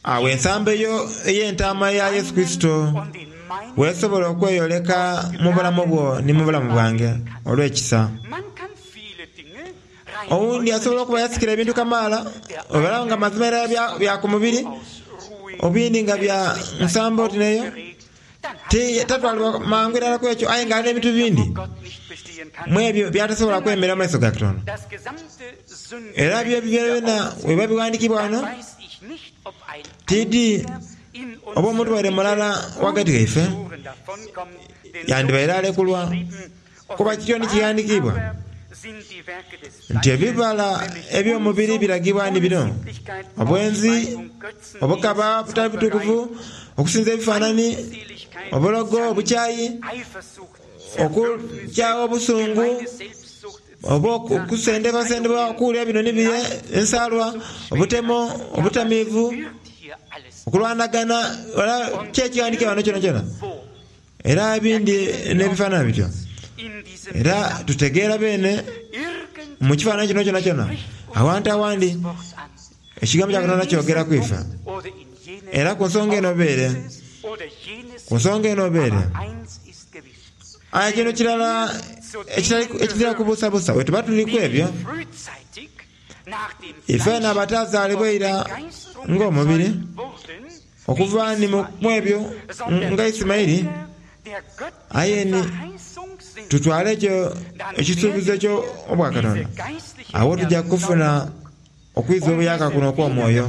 Awo ensambo eyo ey'entaama ya Yesu Kristo weesobola okweyoleka mu bulamu bwo ni mu bulamu bwange olw'ekisa. Owundi asobola okuba yasikira ebintu kamaala, obalaba nga mazima era bya, bya ku mubiri, obindi nga bya nsambo oti neyo, tatwalibwa mangu irala ku ekyo, aye nga alina ebintu bindi mu ebyo byatasobola kwemera mu maiso ga Katonda. Era byo byona weba biwandikibwa wano, tidi oba omuntu waire mulala wagati gaife yandibaire alekulwa, kuba kityo ni kighandikibwa nti ebibala eby'omubiri biragibwa ni bino: obwenzi, obukaba butali butukuvu, okusinza ebifaanani, obulogo, obukyayi, okukyawa obusungu, oba okusendebwasendebwa okuwulira bino ni bire, ensaalwa, obutemo, obutamiivu, okulwanagana, era kyekighandikibwa wano kyona kyona. Era ebindi n'ebifaanana bityo. Era tutegeera beene mu kifaananyi kino kyona kyona awantu awandi ekigambo kya Katonda kyogera ku ife. Era ku nsonga eno obeere, ku nsonga eno obeere. Aye kino kirala ekizira kubuusabuusa, bwe tuba tuli ku ebyo, ife n'abatazaalibwa eira ng'omubiri, okuva ni mu ebyo nga Isimaili, aye ni tutwale ekyo ekisuubizo eky'obwakatonda, awo tujja kufuna okwiza obuyaka kuno okw'omwoyo,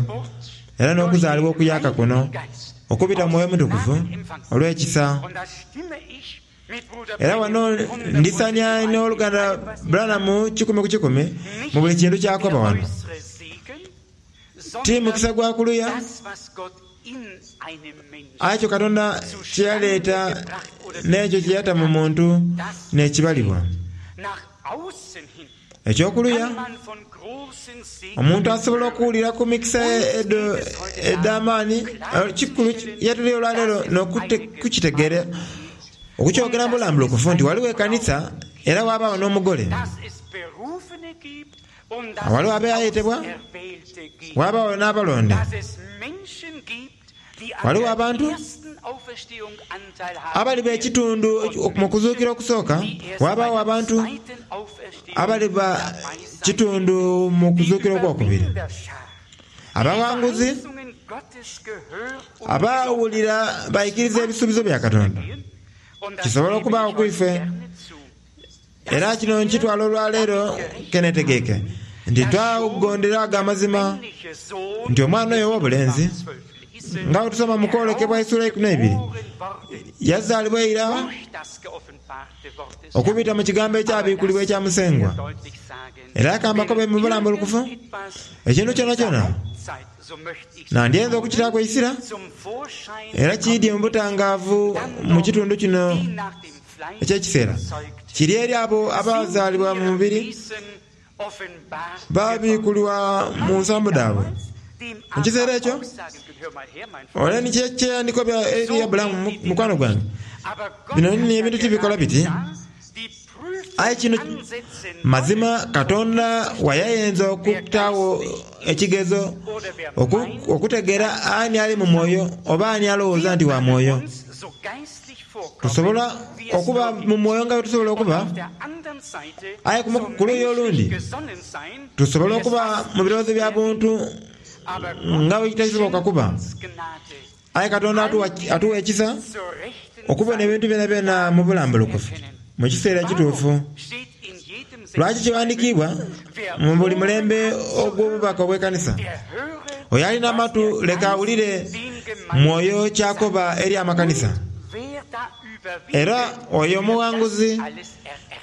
era n'okuzaalibwa okuyaka kuno okubita mu Mwoyo Mutukuvu olw'ekisa. Era wano ndisania n'oluganda Branham kikumi ku kikumi mu buli kintu kyakoba wano. Ti mukisa gwa kuluya, aye ekyo Katonda kyeyaleeta n'ekyo kyeyata mu muntu n'ekibalibwa. Ekyokuluya, omuntu asobola okuwulira ku mikisa edo ed'amaani, kikulu yetuli olwaleero n'okukitegeera, okukyogera mu bulambulukufu nti waliwo ekanisa era wabaawo n'omugole. Waliwo abayetebwa, wabaawo n'abalonde. Waliwo abantu abaliba ekitundu mu kuzuukira okusooka, wabaawo abantu abaliba kitundu mu kuzuukira okwokubiri. Abawanguzi abawulira baikiriza ebisuubizo bya Katonda. Kisobola okubaawo ku ife. Era kino nkitwala olwaleero kenetegeeke nti twagondera ago amazima nti omwana oyo ow'obulenzi nga bwe tusoma mu kwolekebwa essuula ikumi n'eibiri yazaalibwa eira okubita mu kigambo ekyabikulibwa ekya Musengwa. Era akambakobe mu bulambulukufu ekintu kyonakyona nandyenza okukitaaku eisira era kiidye mu butangaavu mu kitundu kino eky'ekiseera kiri eri abo abazaalibwa mu mubiri babikulwa mu nsambo dhaabwe. Mu kiseera ekyo ole ni kyeyandiko bya eri Abulamu mukwano gwange, bino ni ebintu tibikola biti. Aye kino mazima Katonda wayayenza okutaawo ekigezo okutegeera ani ali mu mwoyo oba ani alowooza nti wa mwoyo. Tusobola okuba mu mwoyo nga bwe tusobola okuba, aye ku luuyi olundi tusobola okuba mu birowoozo bya buntu nga bwe kitasoboka kuba. Aye Katonda atuwa ekisa okubona ebintu byonabyona mu bulambulukufu mu kiseera ekituufu. Lwaki kiwandiikibwa mu buli mulembe ogw'obubaka obw'ekanisa? Oyo alina amatu leka awulire mwoyo ky'akoba eri amakanisa. Era oyo omuwanguzi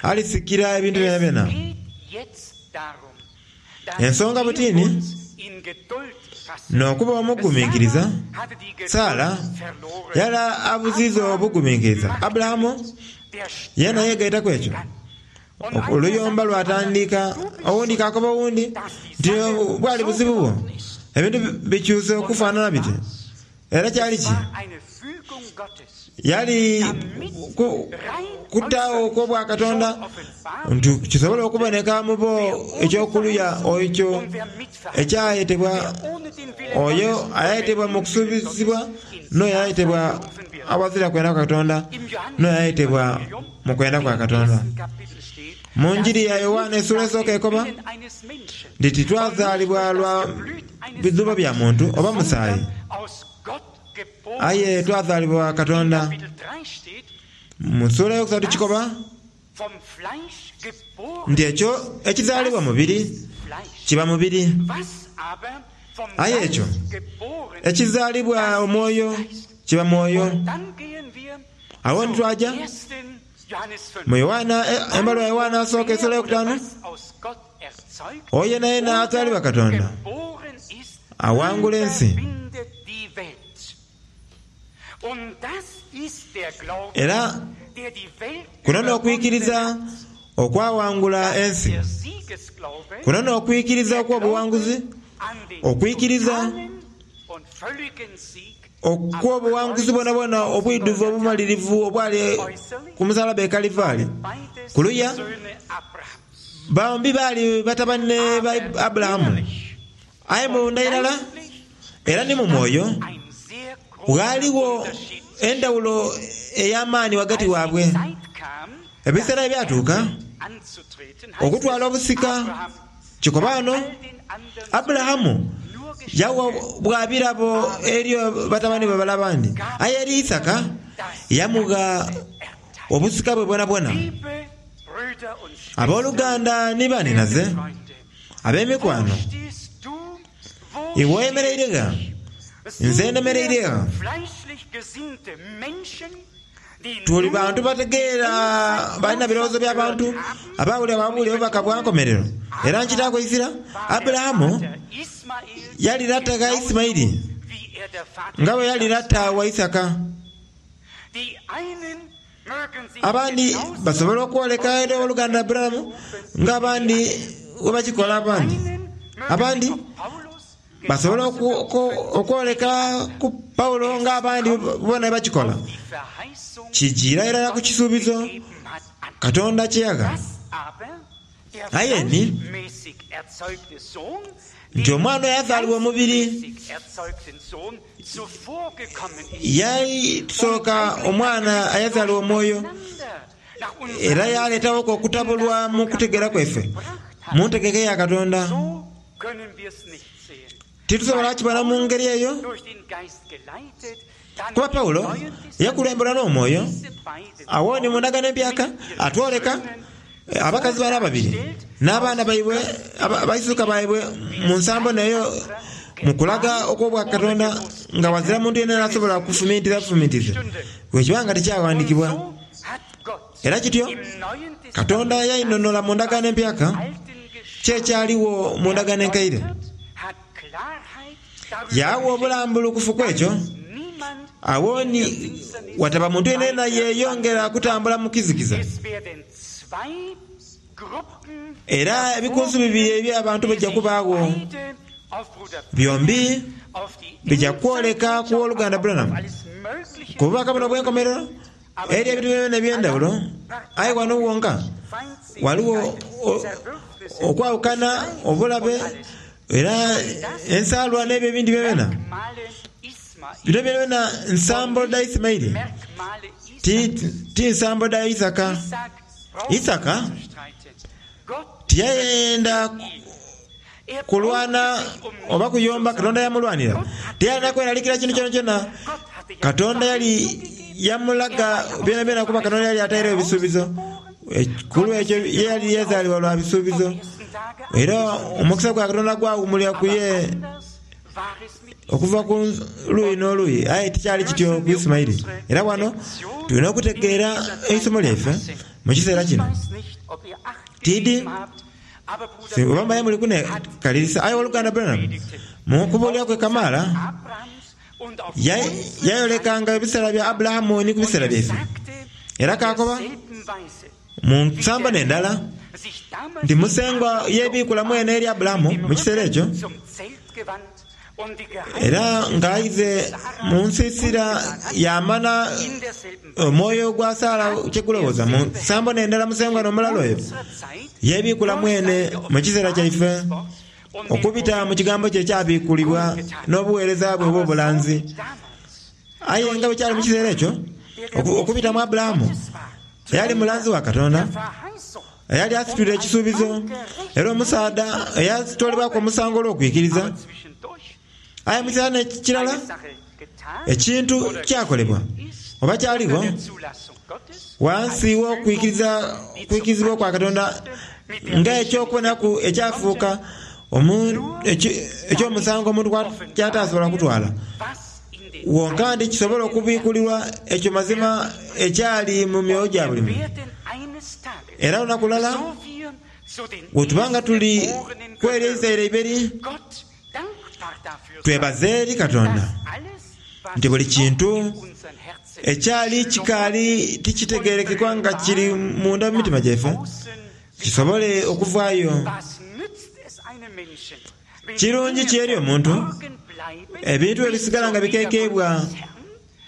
alisikira ebintu byonabyona. Ensonga butini n'okuba omugumiikiriza. Sara yali abuziiza obugumiikiriza. Aburahamu yena yeegaitaku ekyo. Oluyomba lwatandika, owundi kakoba owundi nti bwali buzibu bwo, ebintu bikyuse okufaanana biti. Era kyali ki? Yali kutaawo okw'Obwakatonda nti kisobola okuboneka mu bo eky'okuluya ekyo ekyayetebwa oyo ayetebwa mu kusuubizibwa n'oyo ayetebwa awazira kwenda kwa Katonda n'oyo ayetebwa mu kwenda kwa Katonda. Mu njiri ya Yowaana essuula esooka ekoba nti titwazaalibwa lwa bidhuubo bya muntu oba musaayi, aye twazaalibwa Katonda. Mu ssuula eyokusatu kikoba nti ekyo ekizaalibwa mubiri kiba mubiri, aye ekyo ekizaalibwa omwoyo kiba mwoyo. Awo ntitwaja mu Yowaana, embaluwa ya Yowaana asooka essuula eyokutaanu, oyo yenayena azaalibwa Katonda awangula ensi. Era kuno n'okwikiriza okwawangula ensi, kuno n'okwikiriza okw'obuwanguzi, okwikiriza okw'obuwanguzi bwonabwona obwidhuvu obumalirivu obwali ku musalaba e Kalivaali. Kuluya bombi baali batabani ba Aburahamu, aye munda irala era ni mu mwoyo ghaaligho endhawulo ey'amaani ghagati waabwe. Ebiseera ebyatuuka okutwala obusika kikoba ghano, Aburahamu yawa bwa birabo eri batabani be bale abandi, aye eri Isaka yamugha obusika bwe bwonabwona. Abooluganda ni banhinaze ab'emikwano, iwe oyemereire gha? Nze ndemereire gha? Tuli bantu bategeera, balina birowoozo bya bantu abawulira bwabulira obubaka bwa nkomerero. Era nkitaaku eizira, Aburahamu yali lata gha Isimaili nga bwe yali lata wa Isaka. Abandi basobola okwoleka eri oluganda Aburahamu nga abandi bwe bakikola abandi. Abandi basobola okwoleka ku Paulo nga abandi bona bakikola. Kijiira irala ku kisuubizo Katonda kye yagha. Aye ni nti omwana oyo azaalibwa omubiri yali tusooka omwana ayazaalibwa omwoyo, era yaleetawoko okutabulwa mu kutegeera kwaife mu ntegeka ya Katonda. Titusobola kibona mu ngeri eyo, kuba Paulo yakulembera n'omwoyo. Awo ni mu ndagaano empyaka atwoleka abakazi bano ababiri n'abaana baibwe, abaisuka baibwe mu nsambo neyo mu kulaga okw'Obwakatonda nga wazira muntu yenayena asobola kufumintiriza bufumintirize bwe kiba nga tikyawandikibwa. Era kityo Katonda yainhonhola mu ndagaano empyaka kyekyaliwo mu ndagaano enkaire. Yawa obulambulukufu ku ekyo. Awo ni wataba muntu yenayena yeyongera kutambula mu kizikiza. Era ebikunsu bibiri eby'abantu bijja kubaagho, byombi bijja kwoleka ku oluganda Branham ku bubaka buno obw'enkomerero Eri ebintu byona eby'endawulo, aye ghano wonka ghaligho okwawukana, obulabe, era ensaalwa n'ebyo ebindi byonabyona. Bino byonabyona nsambo dha Isimaili, ti nsambo dha Isaka. Isaka tiyayenda kulwana oba kuyomba, Katonda yamulwanira. Tiyalina kweralikira kintu kyonakyona. Katonda yali yamulaga byonabyona kuba Katonda yali atairegho ebisuubizo. Ku lw'ekyo ye yali yazaalibwa lwa bisuubizo. Era omukisa gwa Katonda gwawumulira ku ye okuva ku luuyi n'oluuyi. Aye tikyali kityo ku Isimaili. Era wano tulina okutegeera eisomo lyaife mu kiseera kino. Tiidi oba mbaye muli kunekalirisa. Aye owoluganda Branham mu kubuulira kwe kamaala yayolekanga ebiseera bya Aburahamu ni ku biseera byaife. Era kakoba mu nsambo n'endala nti Musengwa yebiikula mwene eri Aburahamu mu kiseera ekyo, era nga aize mu nsiisira yamana omwoyo gwa Sara kyegulowooza. Mu nsambo n'endala Musengwa n'omulala oyo yebiikula mwene mu kiseera kyaife okubita mu kigambo kye ekyabiikulibwa n'obuweereza bwe obw'obulanzi. Aye nga bwe kyali mu kiseera ekyo, okubita mu Aburahamu eyali mulanzi wa Katonda, eyali asitwire ekisuubizo, era omusaadha eyatwalibwaku omusango olw'okwikiriza. Aye mu kiseera n'ekirala ekintu kyakolebwa oba kyaligho wansi w'okwikirizibwa kwa Katonda nga eky'okubonaku ekyafuuka eky'omusango omuntu kyatasobola kutwala. Wonka ndi kisobola okubiikulirwa ekyo mazima ekyali mu myoyo gya buli muntu. Era olunaku lulala bwetuba nga tuli kweri eizaire eiberi, twebaze eri Katonda nti buli kintu ekyali kikaali tikitegerekekwa nga kiri munda mu mitima gyaife kisobole okuvaayo. Kirungi ki eri omuntu ebintu ebisigala nga bikekeibwa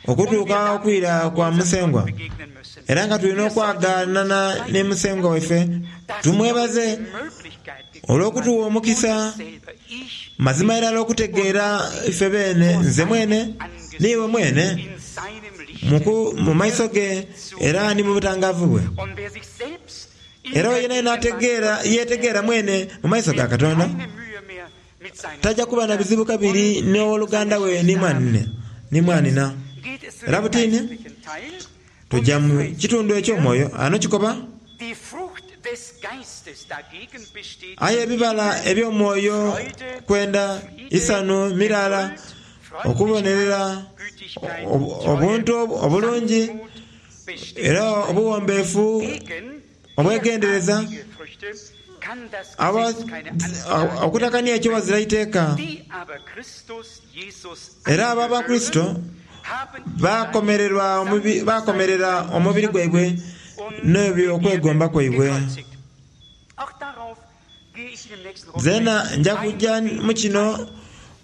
okutuuka okwira kwa Musengwa, era nga tulina okwaganana ne Musengwa waife. Tumwebaze olw'okutuwa omukisa mazima irala okutegeera ife beene, nze mwene n'iwe mwene, mu maiso ge era ni mu butangavu bwe. Era oyo yenayena yetegeera mwene mu maiso ga Katonda taja kuba na bizibu kabiri n'owoluganda we ni mwanina. Era butini tuja mu kitundu eky'omwoyo ano kikoba, aye ebibala eby'omwoyo kwenda, isanu, mirala, okubonerera, obuntu obulungi, era obuwombeefu, obwegendereza, okutakania ekyo wazira iteeka. Era abo Abakristo bakomerera omubiri gwaibwe n'ebyo okwegomba kwaibwe. Zena nja kujja mu kino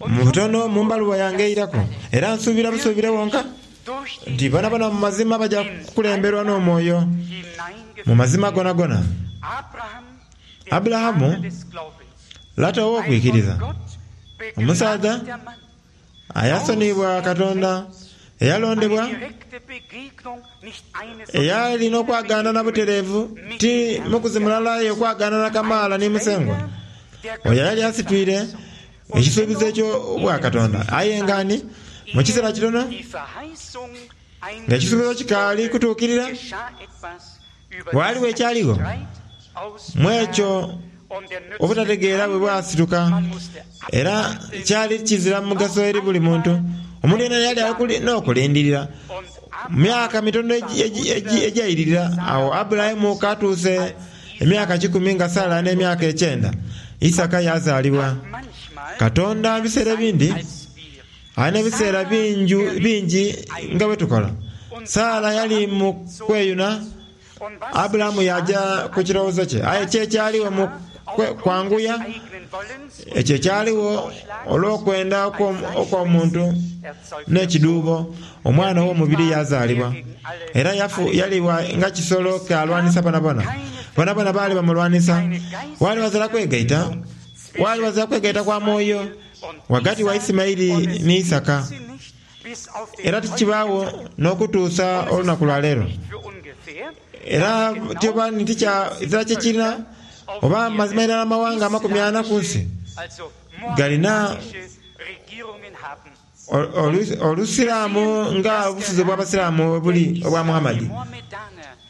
mu butono mu mbaluwa yange eiraku. Era nsuubira busuubire wonka nti bonabona mu mazima baja kukulemberwa n'omwoyo mu mazima gonagona. Aburahamu lata ow'okwikiriza, omusaadha ayasoniyibwa Katonda, eyalondebwa, eyalina okwaganana butereevu, ti mukuzi mulala aye okwaganana kamaala ni Musengwa. Oyo yali asitwire ekisuubizo eky'obwa Katonda. Aye nga ni mu kiseera kitono nga ekisuubizo kikaali kutuukirira, ghaligho ekyaligho mu ekyo obutategeera bwe bwasituka, era kyali kizira mugaso eri buli muntu. Omuntu yena yali n'okulindirira mu myaka mitono egyairirira. Awo Aburahamu katuuse emyaka kikumi nga Sara n'emyaka ekyenda, Isaka yazaalibwa. Katonda ebiseera ebindi alina ebiseera bingi nga bwe tukola. Sara yali mu kweyuna, Aburahamu yaja ku kirowoozo kye. Aye ki ekyaliwo mu kwanguya Ekyo ekyaliwo olw'okwenda okw'omuntu n'ekiduubo, omwana ow'omubiri yazaalibwa. Era yaliwa nga kisolo kyalwanisa bonabona. Bonabona baali bamulwanisa. Wali wazira kwegaita, wali wazira kwegaita kwa mwoyo ghagati wa Isimaili ni Isaka. Era tikibaawo n'okutuusa olunaku lwa leero. Era tyoba nti kizira kye kirina oba mazima irala amawanga amakumi ana ku nsi galina Olusiraamu nga obufuzi obw'Abasiraamu buli obwa Muhammadi.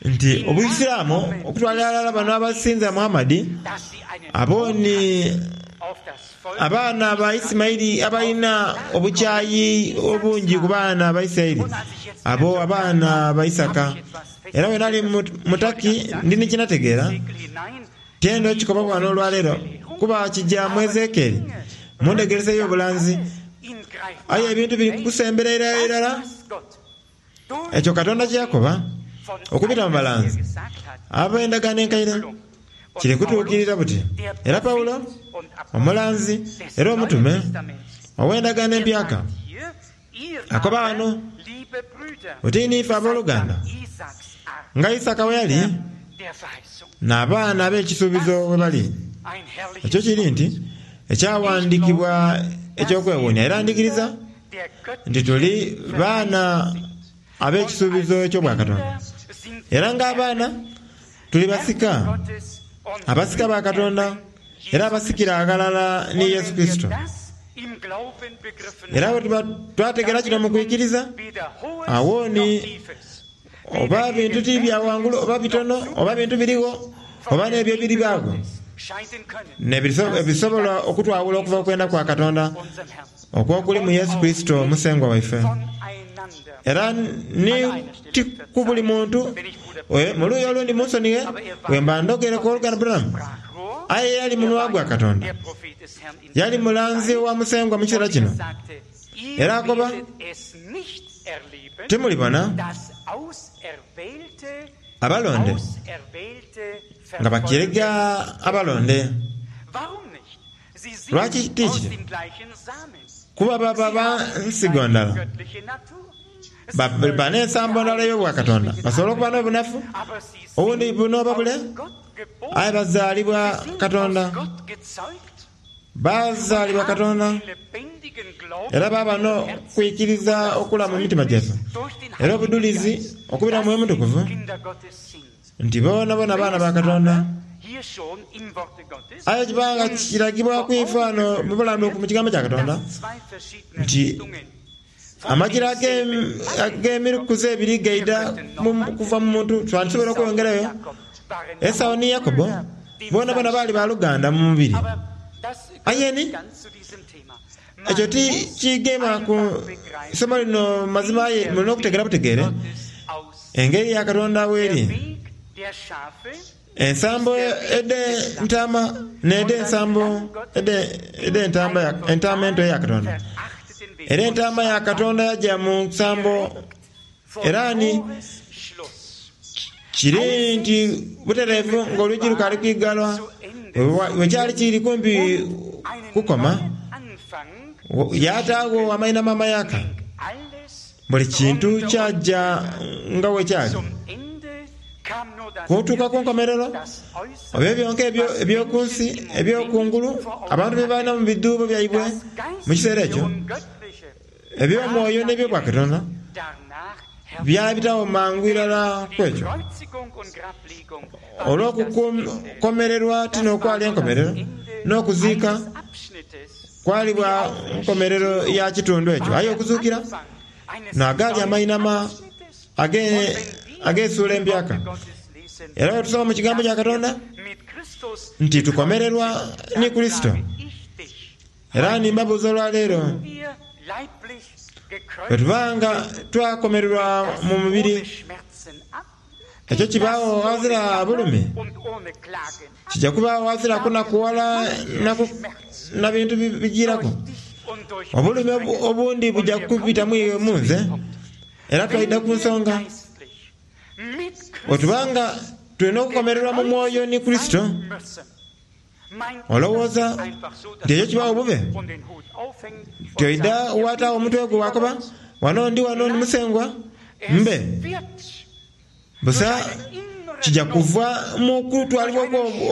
Nti Obusiraamu okutwalira ghalala bano abasinza Muhammadi abo ni abaana ba Isimaili abalina obukyayi obungi ku baana ba Isiraeli, abo abaana ba Isaka. Era bwe nali mutaki ndi ni kinategeera, tyenda okikoba wano olwaleero kuba kija mu Ezekieli mu ndhegeresa ey'obulanzi. Aye ebintu biri kusembera irala irala ekyo Katonda kye yakoba okubita mu balanzi ab'endagaano enkaire kiri kutuukirira buti. Era Pawulo omulanzi era omutume ow'endagaano empyaka akoba wano oti niife abooluganda nga Isaka bwe yali n'abaana ab'ekisuubizo bwe bali. Ekyo kiri nti ekyawandiikibwa eky'okwewuunia era ndikiriza nti tuli baana ab'ekisuubizo eky'obwakatonda. Era ng'abaana tuli basika, abasika ba Katonda era abasikira aghalala ni Yesu Kurisito. Era bwe tuba twategeera kino mu kwikiriza, awo ni oba bintu ti bya wangulu oba bitono oba bintu birigho oba n'ebyo ebiribaago n'ebisobola okutwawula okuva okwenda kwa Katonda okw'okuli mu Yesu Kurisito Musengwa waife. Era ni ti ku buli muntu mu luuyi olundi munsonighe bwe mba ndhogereku oluganda Branham, aye yali munwa gwa Katonda, yali mulanzi wa Musengwa mu kiseera kino. Era akoba, timulibona abalonde nga bakirega abalonde. Lwaki ti kityo? Kuba baba ba nsigo ndala, ba n'ensambo ndala ey'obwakatonda. Basobola okuba n'obunafu obundi buno oba bule, aye bazaalibwa Katonda. Bazaalibwa Katonda era baba n'okwikiriza okulamu mu mitima gyaife, era obudulizi okubira mu Mwoyo Mutukuvu nti bonabona baana ba Katonda. Aye kibanga kiragibwa kwife wano mu bulamu mu kigambo kya Katonda nti amakira ag'emikuzi ebiri gaida kuva mu muntu. Twandisobola okweyongerayo. Esau ni Yakobo bonabona baali baluganda mu mubiri. Aye ni ekyo ti kigema ku isomo lino mazima, aye mulina okutegeera butegeere engeri ya Katonda weeri. Ensambo edh'entaama n'edh'ensambo edh'entaama ento eya Katonda. Era entaama ya Katonda yaja mu nsambo era ni kiri nti butereevu ng'olwigi lukaali kwigalwa. Bwe kyali kiri kumpi kukoma, yataagho amainhama amayaka. Buli kintu kyaja nga bwe kyali. Kutuuka ku nkomerero, ebyo byonka eby'oku nsi eby'okungulu abantu bye balina mu biduubo byaibwe mu kiseera ekyo, eby'omwoyo n'eby'obwakatonda byabitawo mangu irala ku ekyo. Olw'okukomererwa ti n'okwali enkomerero, n'okuziika kwali bwa nkomerero ya kitundu ekyo. Aye okuzuukira n'agaali amainhama ag'esuula empyaka. Era bwe tusoma mu kigambo kya Katonda nti tukomererwa ni Kurisito. Era nimbabuuza olwaleero, bwe tubanga twakomererwa mu mubiri, ekyo kibaawo ghazira bulumi, kijja kubaawo ghazira kunakuwala na bintu bijiraku. Obulumi obundi bujja kubitamu iwe munze. Era twaidha ku nsonga, bwe tubanga tulina okukomererwa mu mwoyo ni Kurisito, Olowooza nti ekyo kibaawo bube? Tyoidha wataagho omutwe gwo wakoba, wano ndi wano ndi musengwa mbe. Busa kija kuva mu kutwalibwa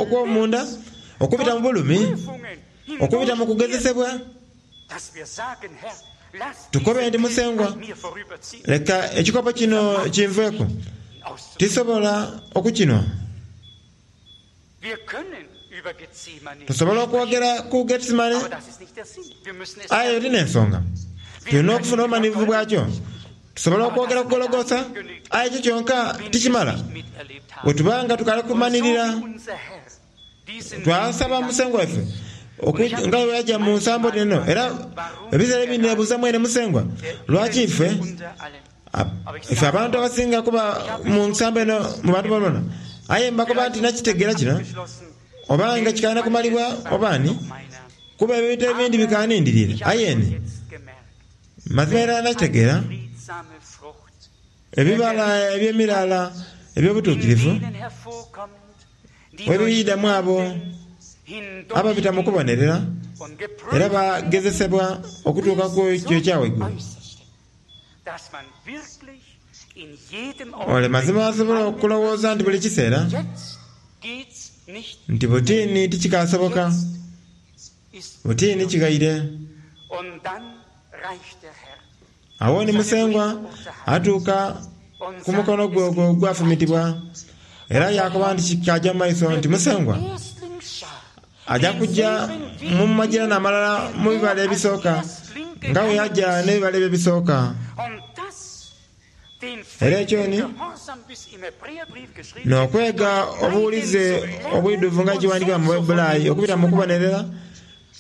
okw'omunda, okubita mu bulumi, okubita mu kugezesebwa. Tukobe nti musengwa, leka ekikopo kino kinveeku, tisobola okukinwa. Tusobola okwogera ku Getsemane, aye ti n'ensonga. Tulina okufuna obumanhirivu bwakyo. Tusobola okwogera ku Gologotha, aye ekyo kyonka tikimala. Bwe tuba nga tukali kumanhirira, twasaba musengwa waife nga bwe yaja mu nsambo eno. Era ebiseera ebindi nebuuza mwene musengwa, lwaki ife ife abantu abasinga kuba mu nsambo eno mu bantu bonabona? Aye mbakoba nti nakitegeera kino, obanga kikalina kumalibwa obaani, kuba ebintu ebindi bikanindirire. Aye ni mazima era nakitegeera ebibala eby'emirala eby'obutuukirivu webiidamu abo ababita mu kubonerera era bagezesebwa okutuuka ku ekyo ekya waigulu. Ole mazima asobola okulowooza nti buli kiseera nti butiini tikikasoboka, butiini kigaire. Awo ni musengwa atuuka ku mukono gwe ogwo ogwafumitibwa, era yakoba nti kikaja mu maiso nti musengwa aja kuja mu majirana amalala mu bibala ebisooka, nga bwe yaja n'ebibala ebyo ebisooka. Era ekyo ni n'okwega obuwulize obwidhuvu nga kiwandikibwa mu Baibuli okubita mu kubonerera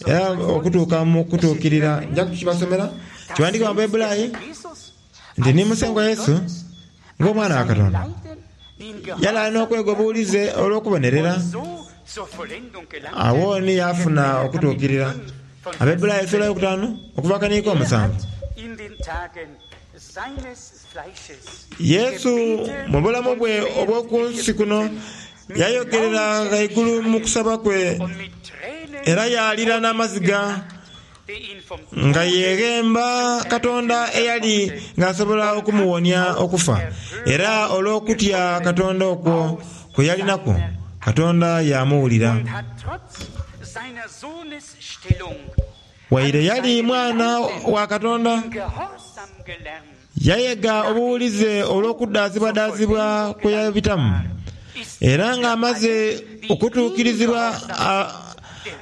era okutuuka mu kutuukirira. Nja kukibasomera. Kiwandikibwa mu Baibuli nti ni musengwa Yesu ng'omwana wa Katonda yali alina okwega obuwulize olw'okubonerera. Awo ni yafuna okutuukirira. Abaibulaayo esula yokutaanu okuva kaniiko omusanvu. Yesu mu bulamu bwe obw'oku nsi kuno yayogerera ghaigulu mu kusaba kwe era yalira n'amaziga nga yeghemba Katonda eyali ng'asobola okumuwonia okufa. Era olw'okutya Katonda okwo kwe yalinaku, Katonda yamuwulira. Waire yali mwana wa Katonda, yayega obuwulize olw'okudaazibwadaazibwa kwe yabitamu. Era ng'amaze okutuukirizibwa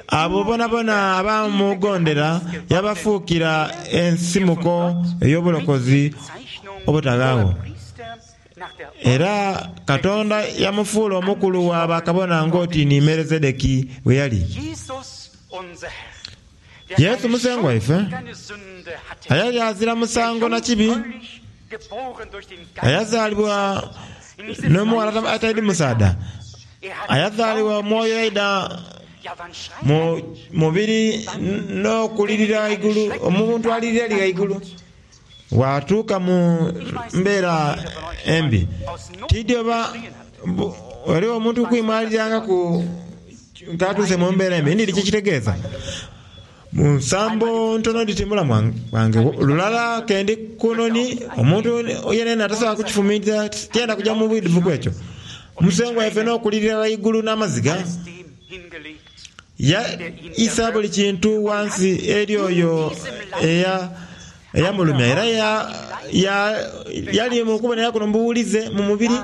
abo bonabona abamugondera yabafuukira ensimuko ey'obulokozi obutaghaagho. Era Katonda yamufuula omukulu wa bakabona ng'oti ni Melizedeki bwe yali. Yesu musengwa waife ayali azira musango na kibi, ayazaalibwa n'omuwala ataidi musaadha, ayazaalibwa omwoyo yaidha mu mubiri n'okulirira ghaigulu, omuntu alirira ali ghaigulu, watuuka mu mbeera embi. Tidi oba waliwo omuntu kwimwalirangaku katuuse mu mbeera embi, ndidi kyekitegeeza. Mu nsambo ntono dhiti mulamu wange lulala kendi kunoni omuntu yenene atasobola kukifumiitiriza tiyenda kuja mu bwidhuvu kwekyo. Musengwa waife n'okulirira ghaigulu n'amaziga yaisa buli kintu wansi eri oyo eyamulumya. Era yali mu kubonera kuno mubuwulize mu mubiri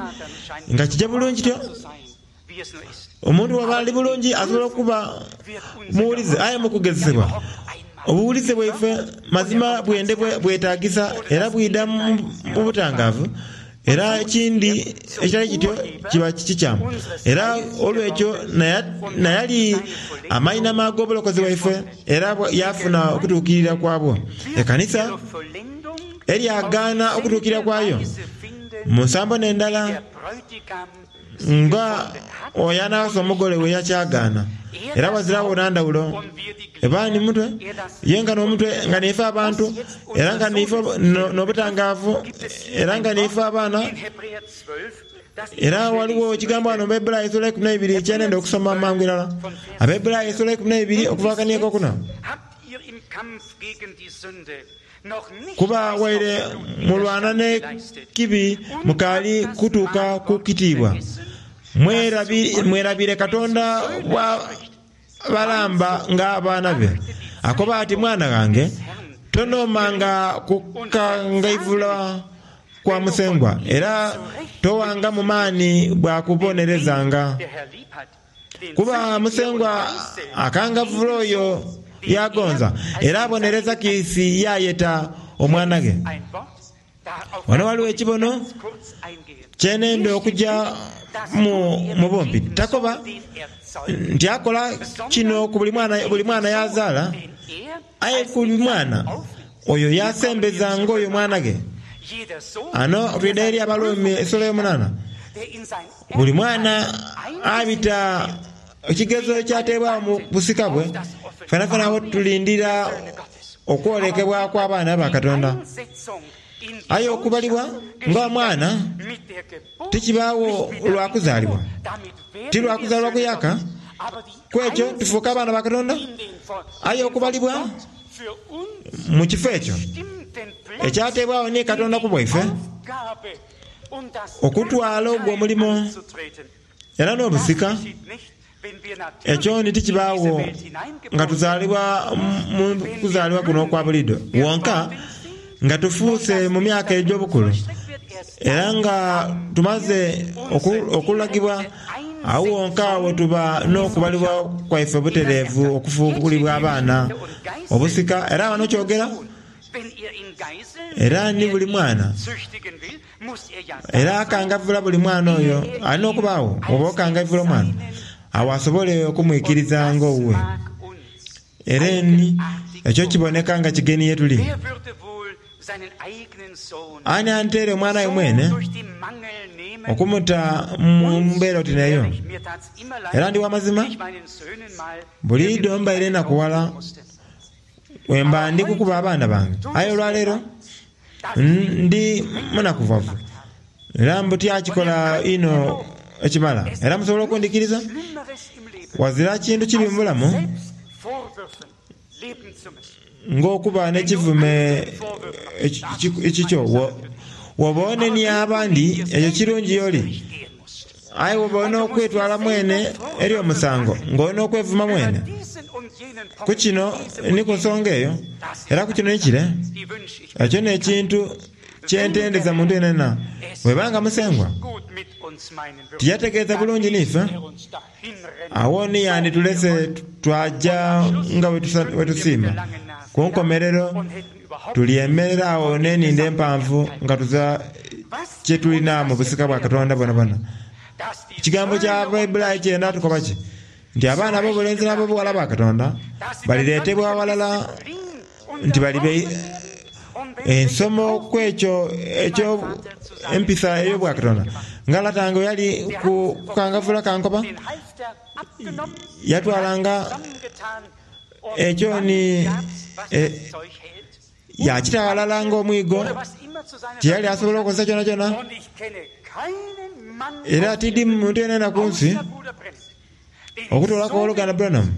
nga kija bulungi kityo. Omuntu bw'aba ali bulungi asobola okuba muwulize, aye mu kugezesebwa obuwulize bwaife mazima bwende bwetagisa era bwidha mu butangaavu. Era ekindi ekitali kityo kiba kikyamu. Era olwekyo nayali amainama ag'obulokozi bwaife era yafuna okutuukirira kwabwo. Ekanisa eryagaana okutuukirira kwayo mu nsambo n'endala nga oyo anaawasa omugole we yakyagaana. Era wazirawo nandawulo eba ni mutwe ye nga n'omutwe nga niife abantu, era nga niife n'obutangaavu, era nga niife abaana. Era waliwo ekigambo wano mu Bayibuli essuula ikumi na ibiri kyenenda okusoma mangu irala. Abayibuli essuula ikumi na ibiri okuva akanieko okuna. Kuba waire mulwana n'ekibi mukaali kutuuka ku kitiibwa. Mwerabire Katonda bwa balamba ng'abaana be. Akoba ati, mwana wange, tonoomanga kukangaivula kwa Musengwa, era towanga mu maani bwa kubonerezanga. Kuba Musengwa akangavula oyo yagonza, era abonereza kiisi yayeta omwana ghe. Wano waliwo ekibono kyenenda okujja mu bumpi. Takoba nti akola kino ku buli mwana, buli mwana yazaala, aye ku buli mwana oyo yasembeza ng'oyo mwana ghe. Ano twidha eri Abalumi essuula y'omunaana. Buli mwana abita ekigezo ekyateebwawo mu busika bwe, fenafena awo tulindira okwolekebwa kw'abaana ba Katonda. Aye okubalibwa ng'omwana tikibaawo lwa kuzaalibwa, ti lwa kuzaalibwa kuyaka, kwekyo tufuuka abaana ba Katonda. Aye okubalibwa mu kifo ekyo ekyateebwawo ni Katonda ku bwaife, okutwala ogwo omulimo era n'obusika, ekyo ni tikibaawo nga tuzaalibwa mu kuzaalibwa kuno okwa buliidho wonka, nga tufuuse mu myaka egy'obukulu era nga tumaze okulagibwa, awo wonka we tuba n'okubalibwa kwaife butereevu okufuulibwa abaana obusika. Era wano kyogera era ni buli mwana, era akangavula buli mwana oyo alina okubaawo, oba okangavula omwana awo asobole okumwikiriza ng'owuwe. Era ni ekyo kiboneka nga kigeni ye tuli. Ani anteere omwana we mwene okumuta mu mbeera oti neyo? Era ndi wa mazima, buliidho mbaire nakuwala wemba ndi kukuba abaana bange. Aye olwaleero ndi munakuvavu era mbu tyakikola ino ekimala. Era musobola okundikiriza, wazira kintu kibi mu bulamu ng'okuba n'ekivume ekikyo. Woba onenia abandi, ekyo kirungi yoli. Aye woba olina okwetwala mwene eri omusango, ng'olina okwevuma mwene. Ku kino ni ku nsonga eyo, era ku kino ni kire, ekyo n'ekintu kyentendeza muntu yenena. Bwebanga Musengwa tiyategeeza bulungi niife, awo ni yanditulese twaja nga wetusiima. Ku nkomerero tulyemerera awo n'enindho empanvu nga tuza kye tulina mu busika bwa Katonda bwonabwona. Ekigambo kya Bayibuli kyenda tukoba ki? Nti abaana ab'obulenzi n'ab'obuwala ba Katonda balireetebwa walala, nti balibe ensomo kwekyo ekyo empisa ey'obwa Katonda. Nga lata wange yali ku kukangavula kankoba, yatwalanga ekyo ni e, yakita walala ng'omwigo, tiyali asobola okukozesa kyona kyona. Era tidi muntu yenena ku nsi okutolaku oluganda Branham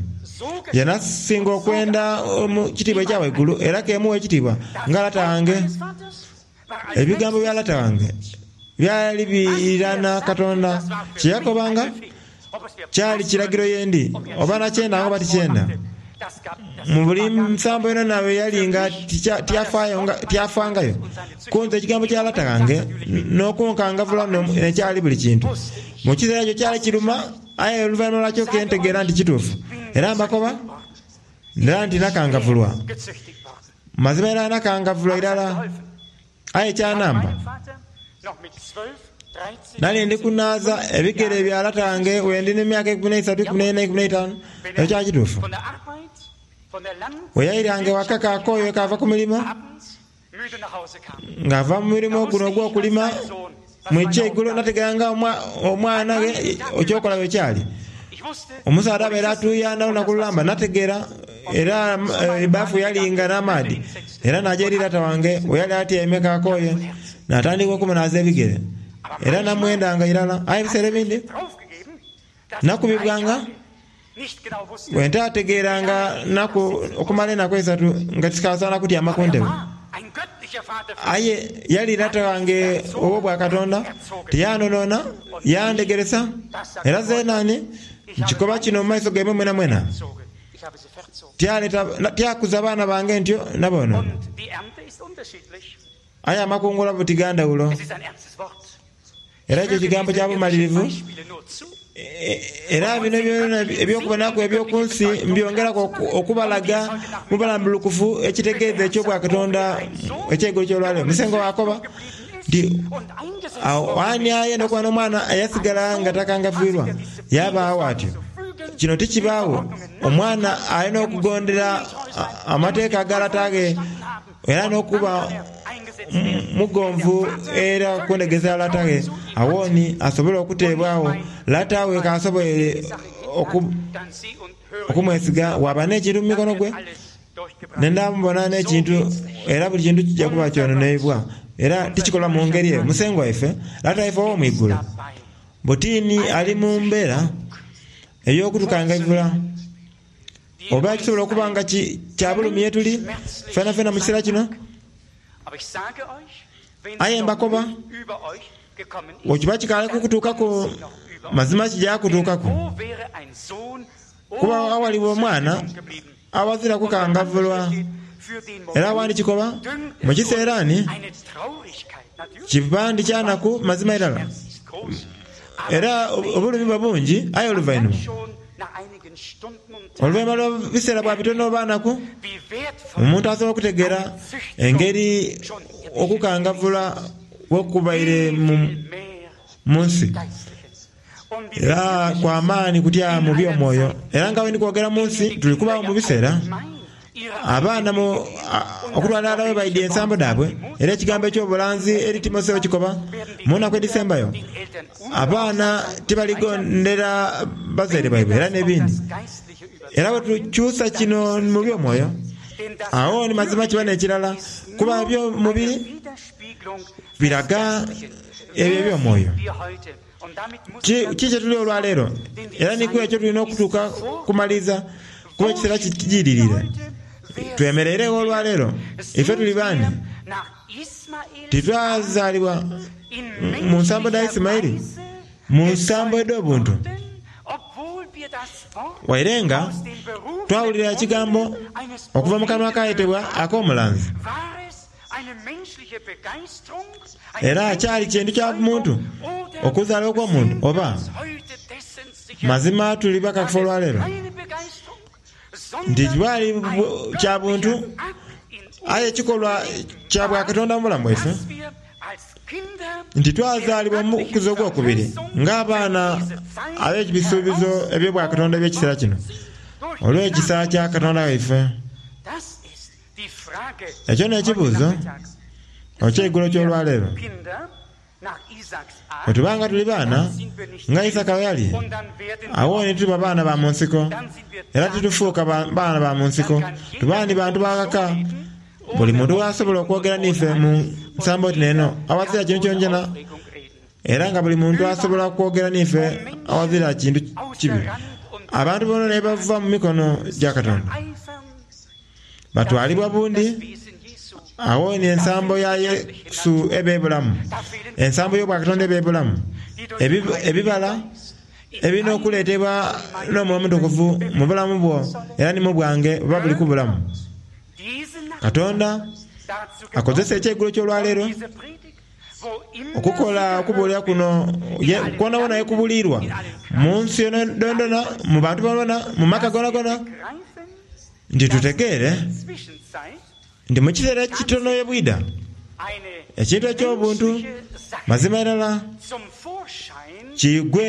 yanasinga okwenda mu kitiibwa ekya waigulu, era kemuwa ekitiibwa nga lata wange. Ebigambo bya lata wange byali birirana Katonda. Kyeyakobanga kyali kiragiro yendi, oba nakyenda oba tikyenda. Mu buli nsambo yona nawe yali nga tyafangayo kunze ekigambo kya lata wange n'okunkangavula nekyali buli kintu. Mu kiseera ekyo kyali kiruma, aye oluvannyuma lwakyo kentegeera nti kituufu. Era mbakoba ndala nti nakangavulwa. Mazima era nakangavulwa irala, aye kyanamba. Nali ndi kunaaza ebigere bya lata wange wendi n'emyaka ikumi n'eisatu, ikumi n'ena, ikumi n'eitaanu. Ekyo kyali kituufu. We yairange waka kaakooyo kava ku mirimo, ng'ava mu mirimo guno ogw'okulima mwekyeigulo, nategeranga omwana ghe ekyokola bwe kyali. Omusaadha abaire atuuyana olunaku lulamba, nategeera era ebbafu yalinga n'amaadhi. Era naja eri lata wange we yali atyaime kaakooye, natandika okumunaaza ebigere. Era namwendanga irala. Aye ebiseera ebindi nakubibwanga bwe ntaategeeranga naku okumala enaku eisatu nga tikasaana kutyama ku ntebe. Aye yali lata wange ow'obwakatonda, tiyanonona, yandegeresa. Era zeena ni nkikoba kino mu maiso gaimwe mwenamwena, tyakuza baana bange ntyo naboonona. Aye amakungula buti ga ndhawulo. Era ekyo kigambo kya bumalirivu. Era bino byona eby'okubonaku eby'oku nsi mbyongeraku okubalaga mu bulambulukufu ekitegeeza eky'obwakatonda eky'eigulo ky'olwaleero. Musengwa wakoba nti ani ayenda okuba n'omwana eyasigala nga takangaviirwa yabaagho atyo. Kino tikibaagho. Omwana alina okugondera amateeka aga lata ge era n'okuba mugonvu era kundhegeza lata ghe. Awooni asobole okuteebwagho lata we k'asobole okumwesiga. Waba n'ekintu mu mikono gwe, nendamubona n'ekintu, era buli kintu kijja kuba kyononeibwa. Era tikikolwa mu ngeri eyo. Musengwa waife, Lata waife ow'omu igulu, butiini ali mu mbeera ey'okutukangaivula. Oba kisobola okuba nga kya bulumi ye tuli fenafena mu kiseera kino. Aye mbakoba, bwekiba kikaali kukutuukaku, mazima kija kutuukaku. Kuba awaliwo omwana awazira kukangavulwa. Era awandi kikoba mu kiseera ni kiba ndi kya naku mazima irala. Era obulumi buba bungi, aye oluvainhuma oluvainhuma lwa biseera bwa bitono oba naku, omuntu asobola okutegeera engeri okukangavula bwekubaire mu nsi. Era kwa maani kutya mu by'omwoyo. Era nga bwe ndi kwogera mu nsi, tuli kubaawo mu biseera abaana okutwala aghalala bwe baidya ensambo dhaabwe. Era ekigambo eky'obulanzi eri Timotheo kikoba mu naku edhisembayo abaana tibaligondera bazaire baibwe era n'ebindi. Era bwe tukyusa kino mu by'omwoyo, agho ni mazima kiba n'ekirala, kuba eby'omubiri biraga ebyo eby'omwoyo. Ki kye tuli olwaleero, era ni ku ekyo tulina okutuuka kumaliza, kuba ekiseera kijiririre. Twemereiregho olwaleero, ife tuli baani? Titwazaalibwa mu nsambo dha Isimaili, mu nsambo edh'obuntu. Waire nga twawulira ekigambo okuva mu kanwa akayetebwa ak'omulanzi. Era kyali kintu kya muntu okuzaalibwa okw'omuntu, oba mazima tuli bakakafu olwaleero nti bwali kya buntu, aye ekikolwa kya bwakatonda mu bulamu bwaife, nti twazaalibwa mu kuza ogwokubiri ng'abaana ab'ebisuubizo eby'obwakatonda eby'ekiseera kino, olw'ekisa kya Katonda waife. Ekyo n'ekibuuzo eky'eigulo ky'olwaleero. Bwe tuba nga tuli baana nga Isaka bwe yali, agho ni tuba baana ba mu nsiko, era titufuuka baana ba mu nsiko. Tuba ni bantu ba ghaka, buli muntu gh'asobola okwogera n'ife mu nsambo oti n'eno awazira kintu kyonkyona, era nga buli muntu asobola okwogera n'ife awazira kintu kibi. Abantu boona bava mu mikono gya Katonda batwalibwa bundi. Agho ni ensambo ya Yesu eba ebulamu, ensambo y'obwakatonda eba ebulamu, ebibala ebirina okuleetebwa n'Omwoyo Omutukuvu mu bulamu bwo era ni mu bwange buba buli ku bulamu. Katonda akozesa ekyeigulo ky'olwaleero okukola okubuulira kuno kwonawona ekubuulirwa mu nsi yonayona, mu bantu bonabona, mu maka gonagona, nti tutegeere nti mu kiseera ekitono ebwida ekintu eky'obuntu mazima irala kiigwe.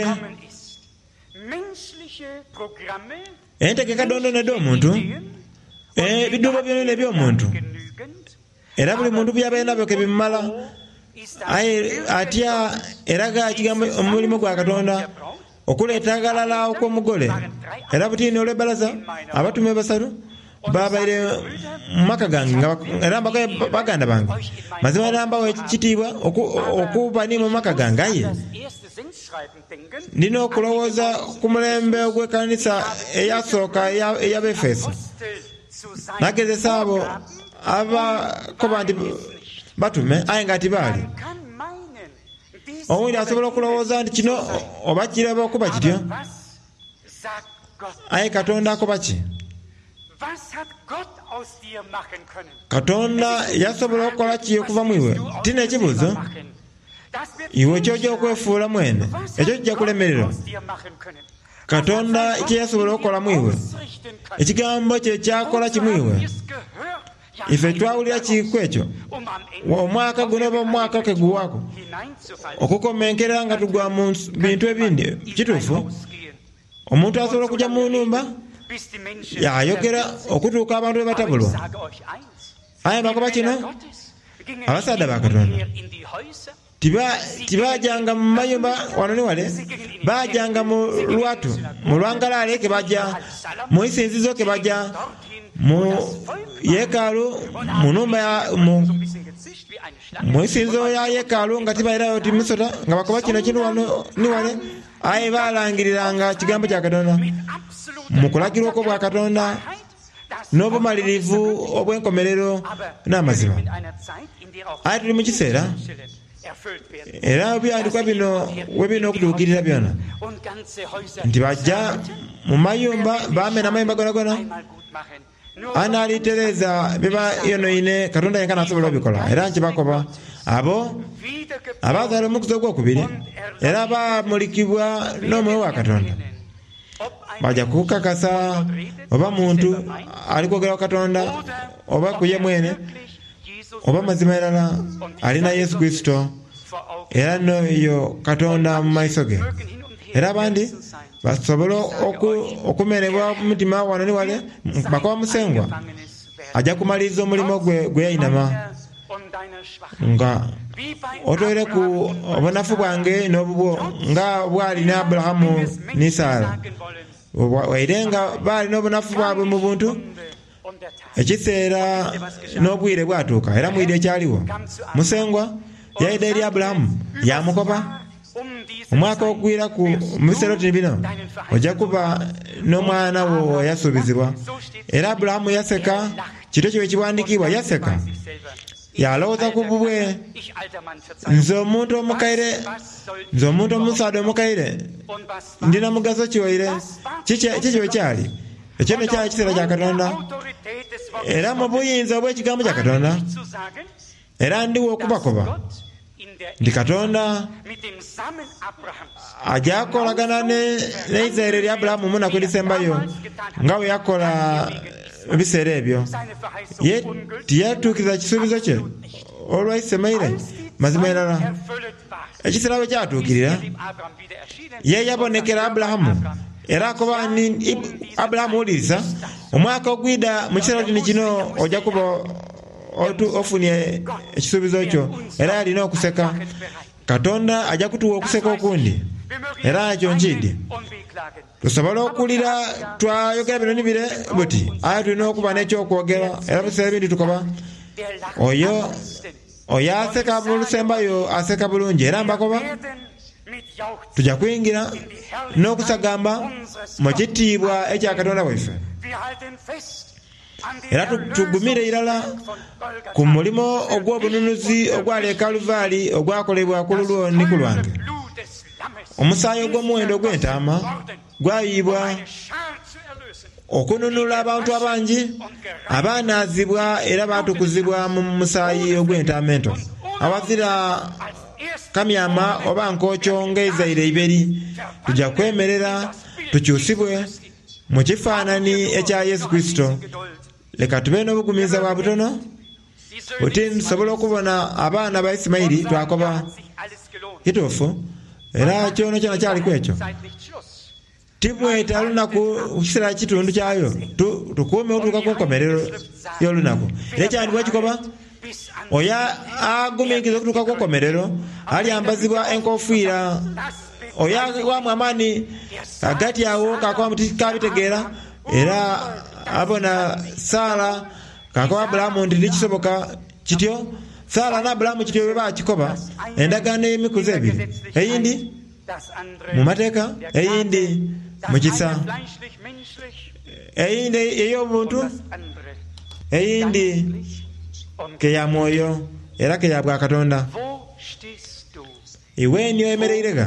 Entegeka dhonadhona edh'omuntu, ebidhuubo byonadhona eby'omuntu, era buli muntu by'abaire nabyo ke bimumala, aye atya eraga ekigambo omulimu gwa Katonda okuleeta aghalala okw'omugole. Era butiini olw'ebbalaza abatume basatu Babaire mu maka gange era mbakoye baganda bange. Mazima era mbawa ekitiibwa okuba ni mu maka gange, aye ndina okulowooza ku mulembe ogw'ekanisa eyasooka ey'Abefeso. Nagezesa abo abakoba nti batume aye nga tibaali. Owundi asobola okulowooza nti kino oba kiraba okuba kityo, aye Katonda akoba ki? Katonda yasobola okukola ki okuva mu iwe? Ti n'ekibuuzo. Iwe ky'ojja okwefuula mwene, ekyo kijja kulemererwa. Katonda kye yasobola okukola mu iwe, ekigambo kye kyakola ki mu iwe? Ife twawulira ki ku ekyo? Omwaka guno oba omwaka ke guwaaku okukomenkera nga tugwa mu bintu ebindi. Kituufu, omuntu asobola okujja mu nhumba yayogera okutuuka abantu be batabulwa. Aye bakoba kino, abasaadha ba Katonda tibajanga mu mayumba wano ni wale, bajanga mu lwatu, mu lwangalale ke baja, mu isinzizo ke baja, mu yeekaalu, mu nhumba ya mu mu isinzizo ya yeekaalu nga tibairayo ti misota, nga bakoba kino kintu wano ni wale, aye balangiriranga kigambo kya Katonda mu kulagirwa okw'obwa Katonda n'obumalirivu obw'enkomerero n'amazima. Aye tuli mu kiseera era ebyandikwa bino we birina okutuukirira byona, nti bajja mu mayumba bamena amayumba gonagona, anaalitereeza biba yonoine Katonda yenka n'asobola obikola. Era nkibakoba abo abazaala omukuzi ogwokubiri era bamulikibwa n'omwoyo wa Katonda bajja kukakasa oba muntu ali kwogera ku Katonda oba ku ye mwene oba mazima irala alina Yesu Kristo era n'oyo Katonda mu maiso ge. Era abandi basobola okumenebwa omutima wano ni wale, bakoba Musengwa ajja kumaliriza omulimu gwe gwe yainama nga otoireku obunafu bwange n'obubwo nga bwali ne Aburahamu ni Sara. Waire nga baali n'obunafu bwabwe mu buntu, ekiseera n'obwire bwatuuka era mwidhi ekyaliwo. Musengwa yaidha eri Aburahamu yamukoba, omwaka ogwiraku mu biseera oti bino ojja kuba n'omwana wo eyasuubizibwa. Era Aburahamu yaseka, kito kiwe kiwandiikibwa, yaseka. Yalowooza ku bubwe, nze omuntu omukaire, nze omuntu omusaadha omukaire, ndina mugaso ki waire? Kiki we kyali? Ekyo nno kyali kiseera kya Katonda. Era mu buyinza obw'ekigambo kya Katonda, era ndiwo okubakoba nti Katonda ajja kukolagana n'eizaire lya Aburahamu mu nnaku edhisembayo nga bwe yakola mu biseera ebyo. Ye tiyatuukiriza kisuubizo kye olwa Isimaili, mazima irala. Ekiseera bwe kyatuukirira, ye yabonekera Aburahamu era akoba ni Aburahamu, wuliriza, omwaka ogwidha mu kiseera oti ni kino ojja kuba ofunye ekisuubizo kyo. Era yalina okuseka. Katonda ajja kutuwa okuseka okundi, era ekyo nkiidhi. Tusobola okulira twayogera bino ni bire buti, aye tulina okuba n'ekyokwogera. Era mu biseera ebindi tukoba oyo oyo aseka bulusembayo aseka bulungi. Era mbakoba tujja kwingira n'okusagamba mu kitiibwa ekya Katonda waife. Era tugumire irala ku mulimo ogw'obununuzi ogwali e Kaluvaali ogwakolebwa ku lulwo ni ku lwange. Omusaayi ogw'omuwendo ogw'entaama gwayibwa okununula abantu abangi abanaazibwa era batukuzibwa mu musaayi ogw'entaama ento. Awazira kamyama oba nkokyo ng'eizaire iberi, tujja kwemerera tukyusibwe mu kifaanani ekya Yesu Kristo. Leka tube n'obugumiiza bwa butono buti nsobola okubona abaana ba Isimaili twakoba kituufu, era kyono kyona kyaliku ekyo. Timweta lunaku kiseera kitundu kyayo, tukuume otuuka ku nkomerero y'olunaku. Era ekyandibwa kikoba, oyo aguminkiriza okutuuka ku nkomerero alyambazibwa enkofiira. Oyo awamu amaani agati awo kakoba muti kabitegeera, era abona Sara kakoba Aburahamu nti tikisoboka kityo. Sara na Aburahamu kityo bwe bakikoba endagaano ey'emikuzi ebiri, eyindi mu mateeka, eyindi mu kisa, eyindi ey'obuntu, eyindi ke ya mwoyo era ke ya bwa Katonda. Iwe ni oyemereire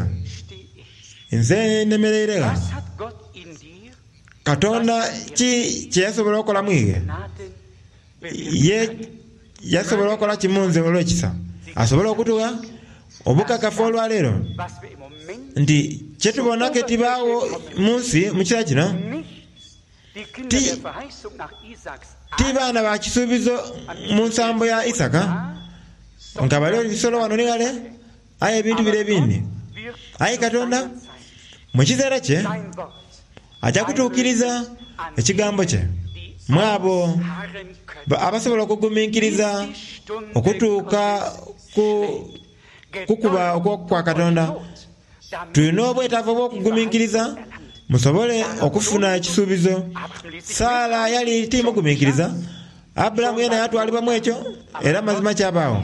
nze nemereire. Katonda ki kye yasobola okukola mwige? Ye yasobola okukola kimunze olw'ekisa, asobola okutuwa obukakafu olwaleero nti kyetubona ke tibaawo mu nsi mu kiseera kino ti ti baana ba kisuubizo mu nsambo ya Isaka nga bali ebisolo wano ni ghale, aye ebintu bire ebindi. Aye Katonda mu kiseera kye ajja kutuukiriza ekigambo kye mu abo abasobola okugumiikiriza okutuuka ku kukuba okwa Katonda. Tulina obwetaavu obw'okugumiikiriza musobole okufuna ekisuubizo. Sara yali timugumiikiriza, Aburahamu yena yatwalibwamu ekyo era mazima kyabaawo.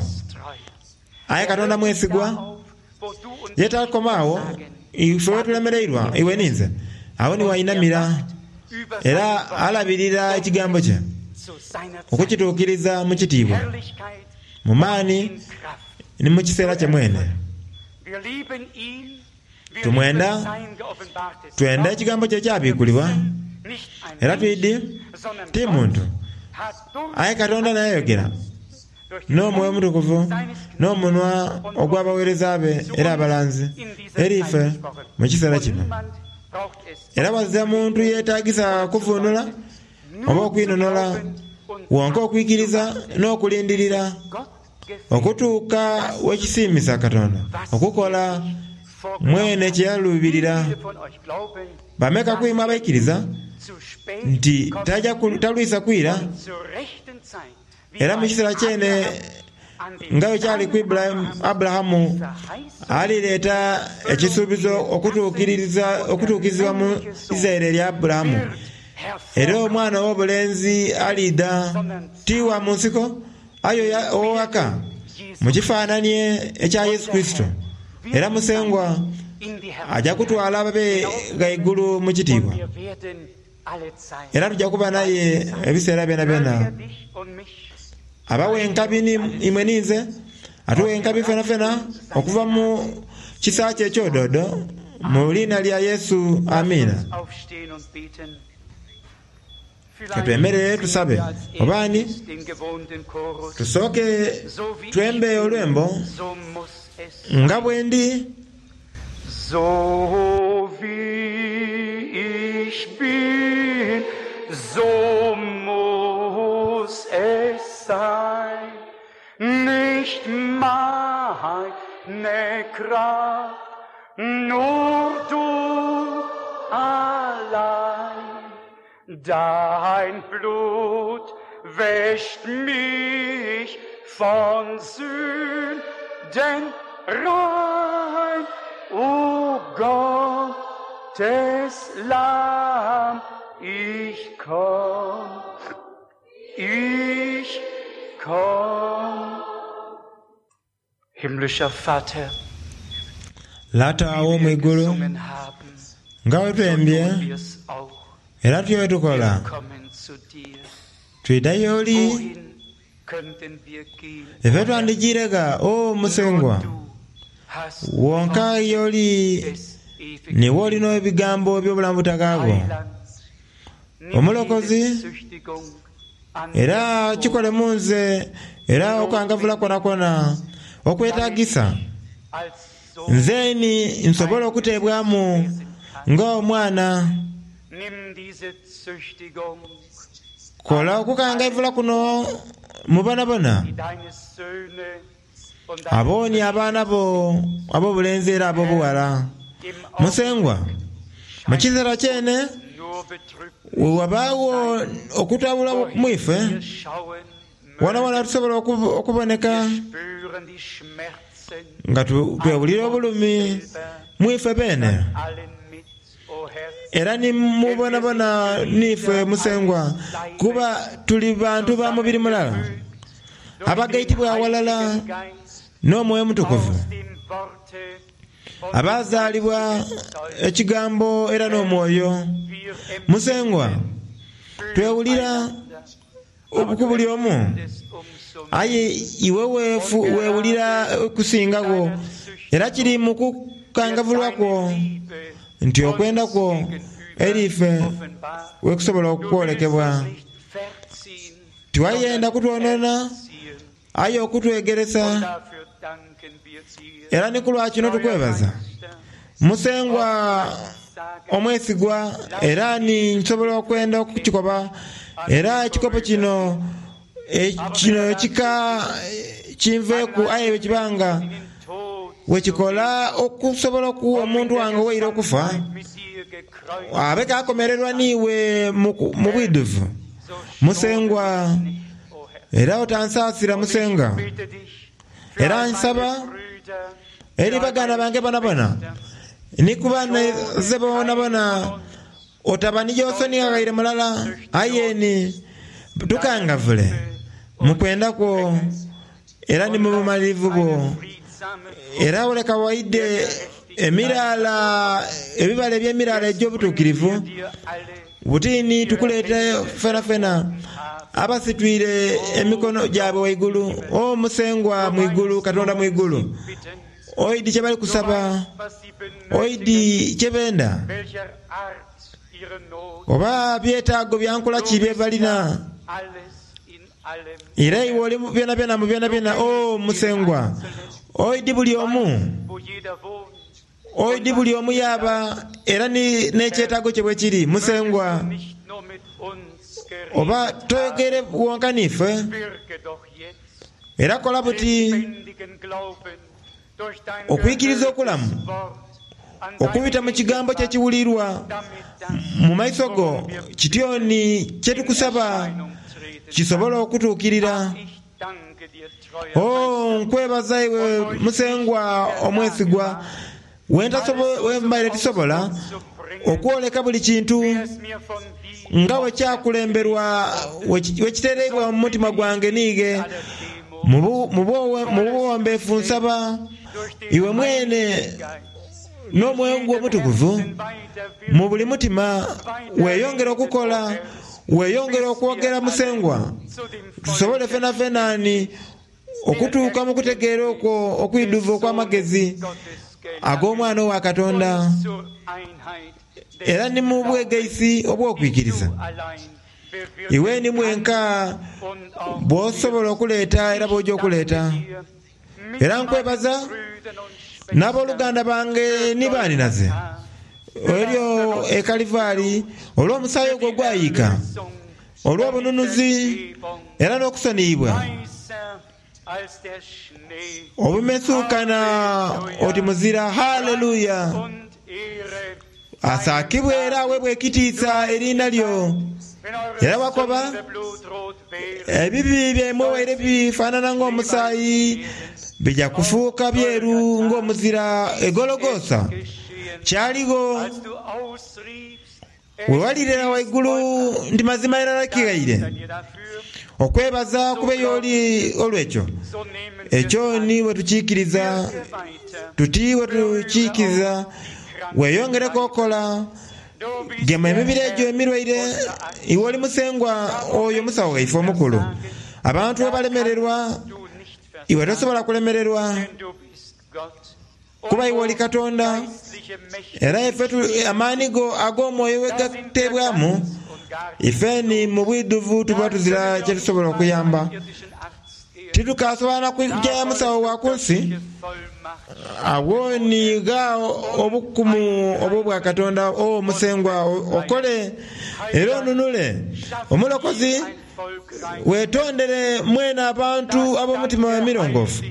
Aye Katonda mwesigwa, ye takomaawo ife wetulemereirwa iwe ninze awo ni wainamira era alabirira ekigambo kye okukituukiriza mu kitiibwa, mu maani ni mu kiseera kye mwene. Tumwenda twenda ekigambo kye kyabikulibwa era twidi ti muntu, aye Katonda nayayogera n'omwoyo omutukuvu n'omunwa ogw'abaweereza be era abalanzi eri ife mu kiseera kino. Era wazira muntu yeetagisa kuvunula oba okwinonola, wonka okwikiriza n'okulindirira okutuuka wekisiimisa Katonda okukola mwene kye yaluubirira. Bameka kwimwe abaikiriza nti taja talwisa kwira, era mu kiseera kyene nga bwe kyali ku Aburahamu alireeta ekisuubizo okutuukiriza okutuukirizibwa mu Isiraeli erya Aburahamu. Era omwana ow'obulenzi aliidha ti wa mu nsiko aye ow'owaka, mu kifaananie ekya Yesu Kurisito. Era Musengwa ajja kutwala ababe ghaigulu mu kitiibwa, era tujja kuba naye ebiseera byonabyona. Abawa enkabi imwe ninze, atuwa enkabi fenafena okuva mu kisa kye eky'ododo, mu liina lya Yesu, amiina. Katwemerere tusabe. Obaani tusooke twembe olwembo nga bwendi. So wie ich bin, so muss es sein. Nicht meine Kraft, nur du allein. Dein Blut wäscht mich von Sünden rein. O Gottes Lamm, ich komm, ich komm. Himmlischer Vater, Lata wie wir ow'omwigulu, gesungen haben, nga bwe so twembye tun wir's auch. era tutyo bwe tukola, Wir kommen zu dir. twidha y'oli. Wohin könnten wir gehen? Ife O Herr? twandijiirega o Musengwa, Nur du hast wonka Worte y'oli des ewigen niwe olina ebigambo eby'obulamu butakaagwo. Heiland, nimm Omulokozi, jede Züchtigung an era dir kikole mu nze era okukangavvula kwonakwo okwetaagisa als Sohn nze ni nsobola okuteebwamu ng'omwana. Nimm diese Züchtigung Kola okukangaivula kuno mu bonabona die deine Söhne und deine abooni abaana bo ab'obulenzi era ab'obuwala. im Musengwa, mu kiseera kyene nur betrübt wewabaawo okutabula mu ife, wir schauen, wonawona tusobola okubo- okuboneka wir spüren die Schmerzen nga tu- twewulira obulumi mu ife beene. allen mit, o Herr. Era ni mubonabona nife Musengwa, kuba tuli bantu ba mubiri mulala, abagaitibwa awalala n'Omwoyo Mutukuvu, abazaalibwa ekigambo era n'Omwoyo. Musengwa, twewulira ku buli omu, aye iwe weewulira okusingagho, era kiri mu kukangavulwa kwo nti okwenda kwo eriife wekusobola okwolekebwa. Tiwayenda kutwonona, aye okutwegeresa, era ni ku lwa kino tukwebaza. Musengwa omwesigwa, era ni nsobola okwenda okukikoba, era ekikopo kino kino ekika kinveeku, aye bwekibanga wekikola okusobola okuwa omuntu wange owaire okufa, abe kakomererwa niiwe mu bwidhuvu. Musengwa, era otansaasira Musenga, era nsaba eri baganda bange bonabona ni ku banaze bonabona, otaba ni gy'osonigha ghaire mulala, aye ni tukangavule mu kwenda kwo era ni mu bumalirivu bwo, era oleka waidde emiraala, ebibala eby'emiraala egy'obutuukirivu butini tukuleete fena fena abasitwire emikono gyabwe waigulu. O Musengwa mwigulu, Katonda mwigulu, oidi kye bali kusaba, oidi kye benda, oba byetaago byankola ki bye balina, era iwe oli byona byona mu byona byona. O Musengwa, oidi buli omu, oidi buli omu yaba, era n'ekyetaago kye bwe kiri. Musengwa, oba toyogere wonka niife, era kola buti okwikiriza okulamu okubita mu kigambo kye kiwulirwa mu maiso go, kityoni kye tukusaba kisobola okutuukirira. O nkwebaza iwe Musengwa omwesigwa, wembaire tisobola okwoleka buli kintu nga wekyakulemberwa, wekitereibwa mu mutima gwange niighe mu buwombeefu. Nsaba iwe mwene n'Omwoyo gwo Omutukuvu mu buli mutima weeyongere okukola, weeyongere okwogera Musengwa, tusobole fena fenani okutuuka mu kutegeera okwo okwidhuvu okw'amagezi ag'Omwana owa Katonda, era ni mu bwegaisi obw'okwikiriza. Iwe ni mwenka bw'osobola okuleeta era bw'ojja okuleeta. Era nkwebaza n'abooluganda bange ni baaninaze eryo e Kalivaali olw'omusaayi ogwo ogwayiika, olw'obununuzi era n'okusoniyibwa obumesuukana oti muzira. Haleluya! Asaakibwe era aweebwe ekitiisa eriina lyo. Era wakoba ebibi byaimwe waire bifaanana ng'omusaayi, bija kufuuka byeru ng'omuzira. Egologosa kyaligho wewalirira waigulu nti mazima irala kighaire. Okwebaza kube y'oli olw'ekyo. Ekyo ni bwe tukiikiriza tuti, bwe tukiikiriza weeyongereko okola. Gema emibiri egyo emirwaire. Iwe oli Musengwa oyo musawo waife omukulu. Abantu we balemererwa, iwe tosobola kulemererwa, kuba iwe oli Katonda. Era ife amaani go ag'omwoyo we gateebwamu, ife ni mu bwidhuvu tuba tuzira kye tusobola okuyamba. Titukasobola na kujja musawo wa ku nsi. Agho ni gha obukumu obw'obwa Katonda. O Musengwa, okole era onunule. Omulokozi, weetondere mwene abantu ab'omutima emirongoofu,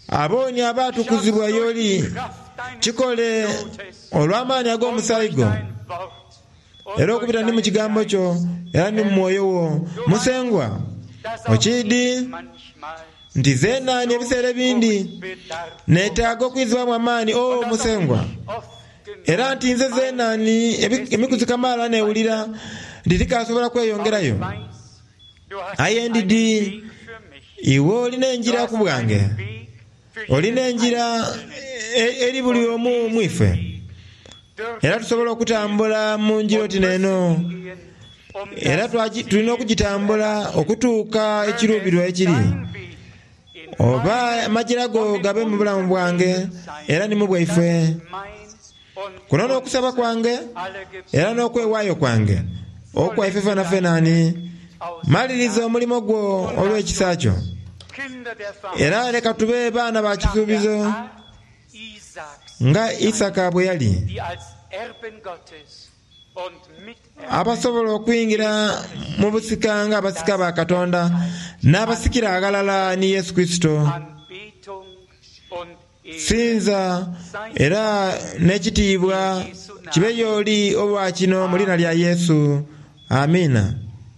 abooni abaatukuzibwa y'oli. Kikole olw'amaani ag'omusaayi gwo, era okubita ni mu kigambo kyo era ni mu mwoyo wo. Musengwa, okiidi nti zenaani ebiseera ebindi neetaaga okwizibwamu amaani. O Musengwa, Era nti nze zenani emikuzi kamaala newulira nti tikasobola kweyongerayo. Aye ndidi iwe olina enjira ku bwange, olina enjira eri buli omu mwife, era tusobola okutambula mu njira oti neno, era tulina okugitambula okutuuka ekiruubirwa ekiri. Oba amajira go gabe mu bulamu bwange era ni mu bwaife. Kuno n'okusaba kwange era n'okwewaayo kwange okwaife fena fenani, maliriza omulimo gwo olw'ekisa kyo. Era leka tube baana ba kisuubizo nga Isaka bwe yali, abasobola okuyingira mu busika nga abasika ba Katonda n'abasikira aghalala ni Yesu Kristo. Sinza era n'ekitiibwa kibe y'oli olwa kino mu lina lya Yesu. Amiina.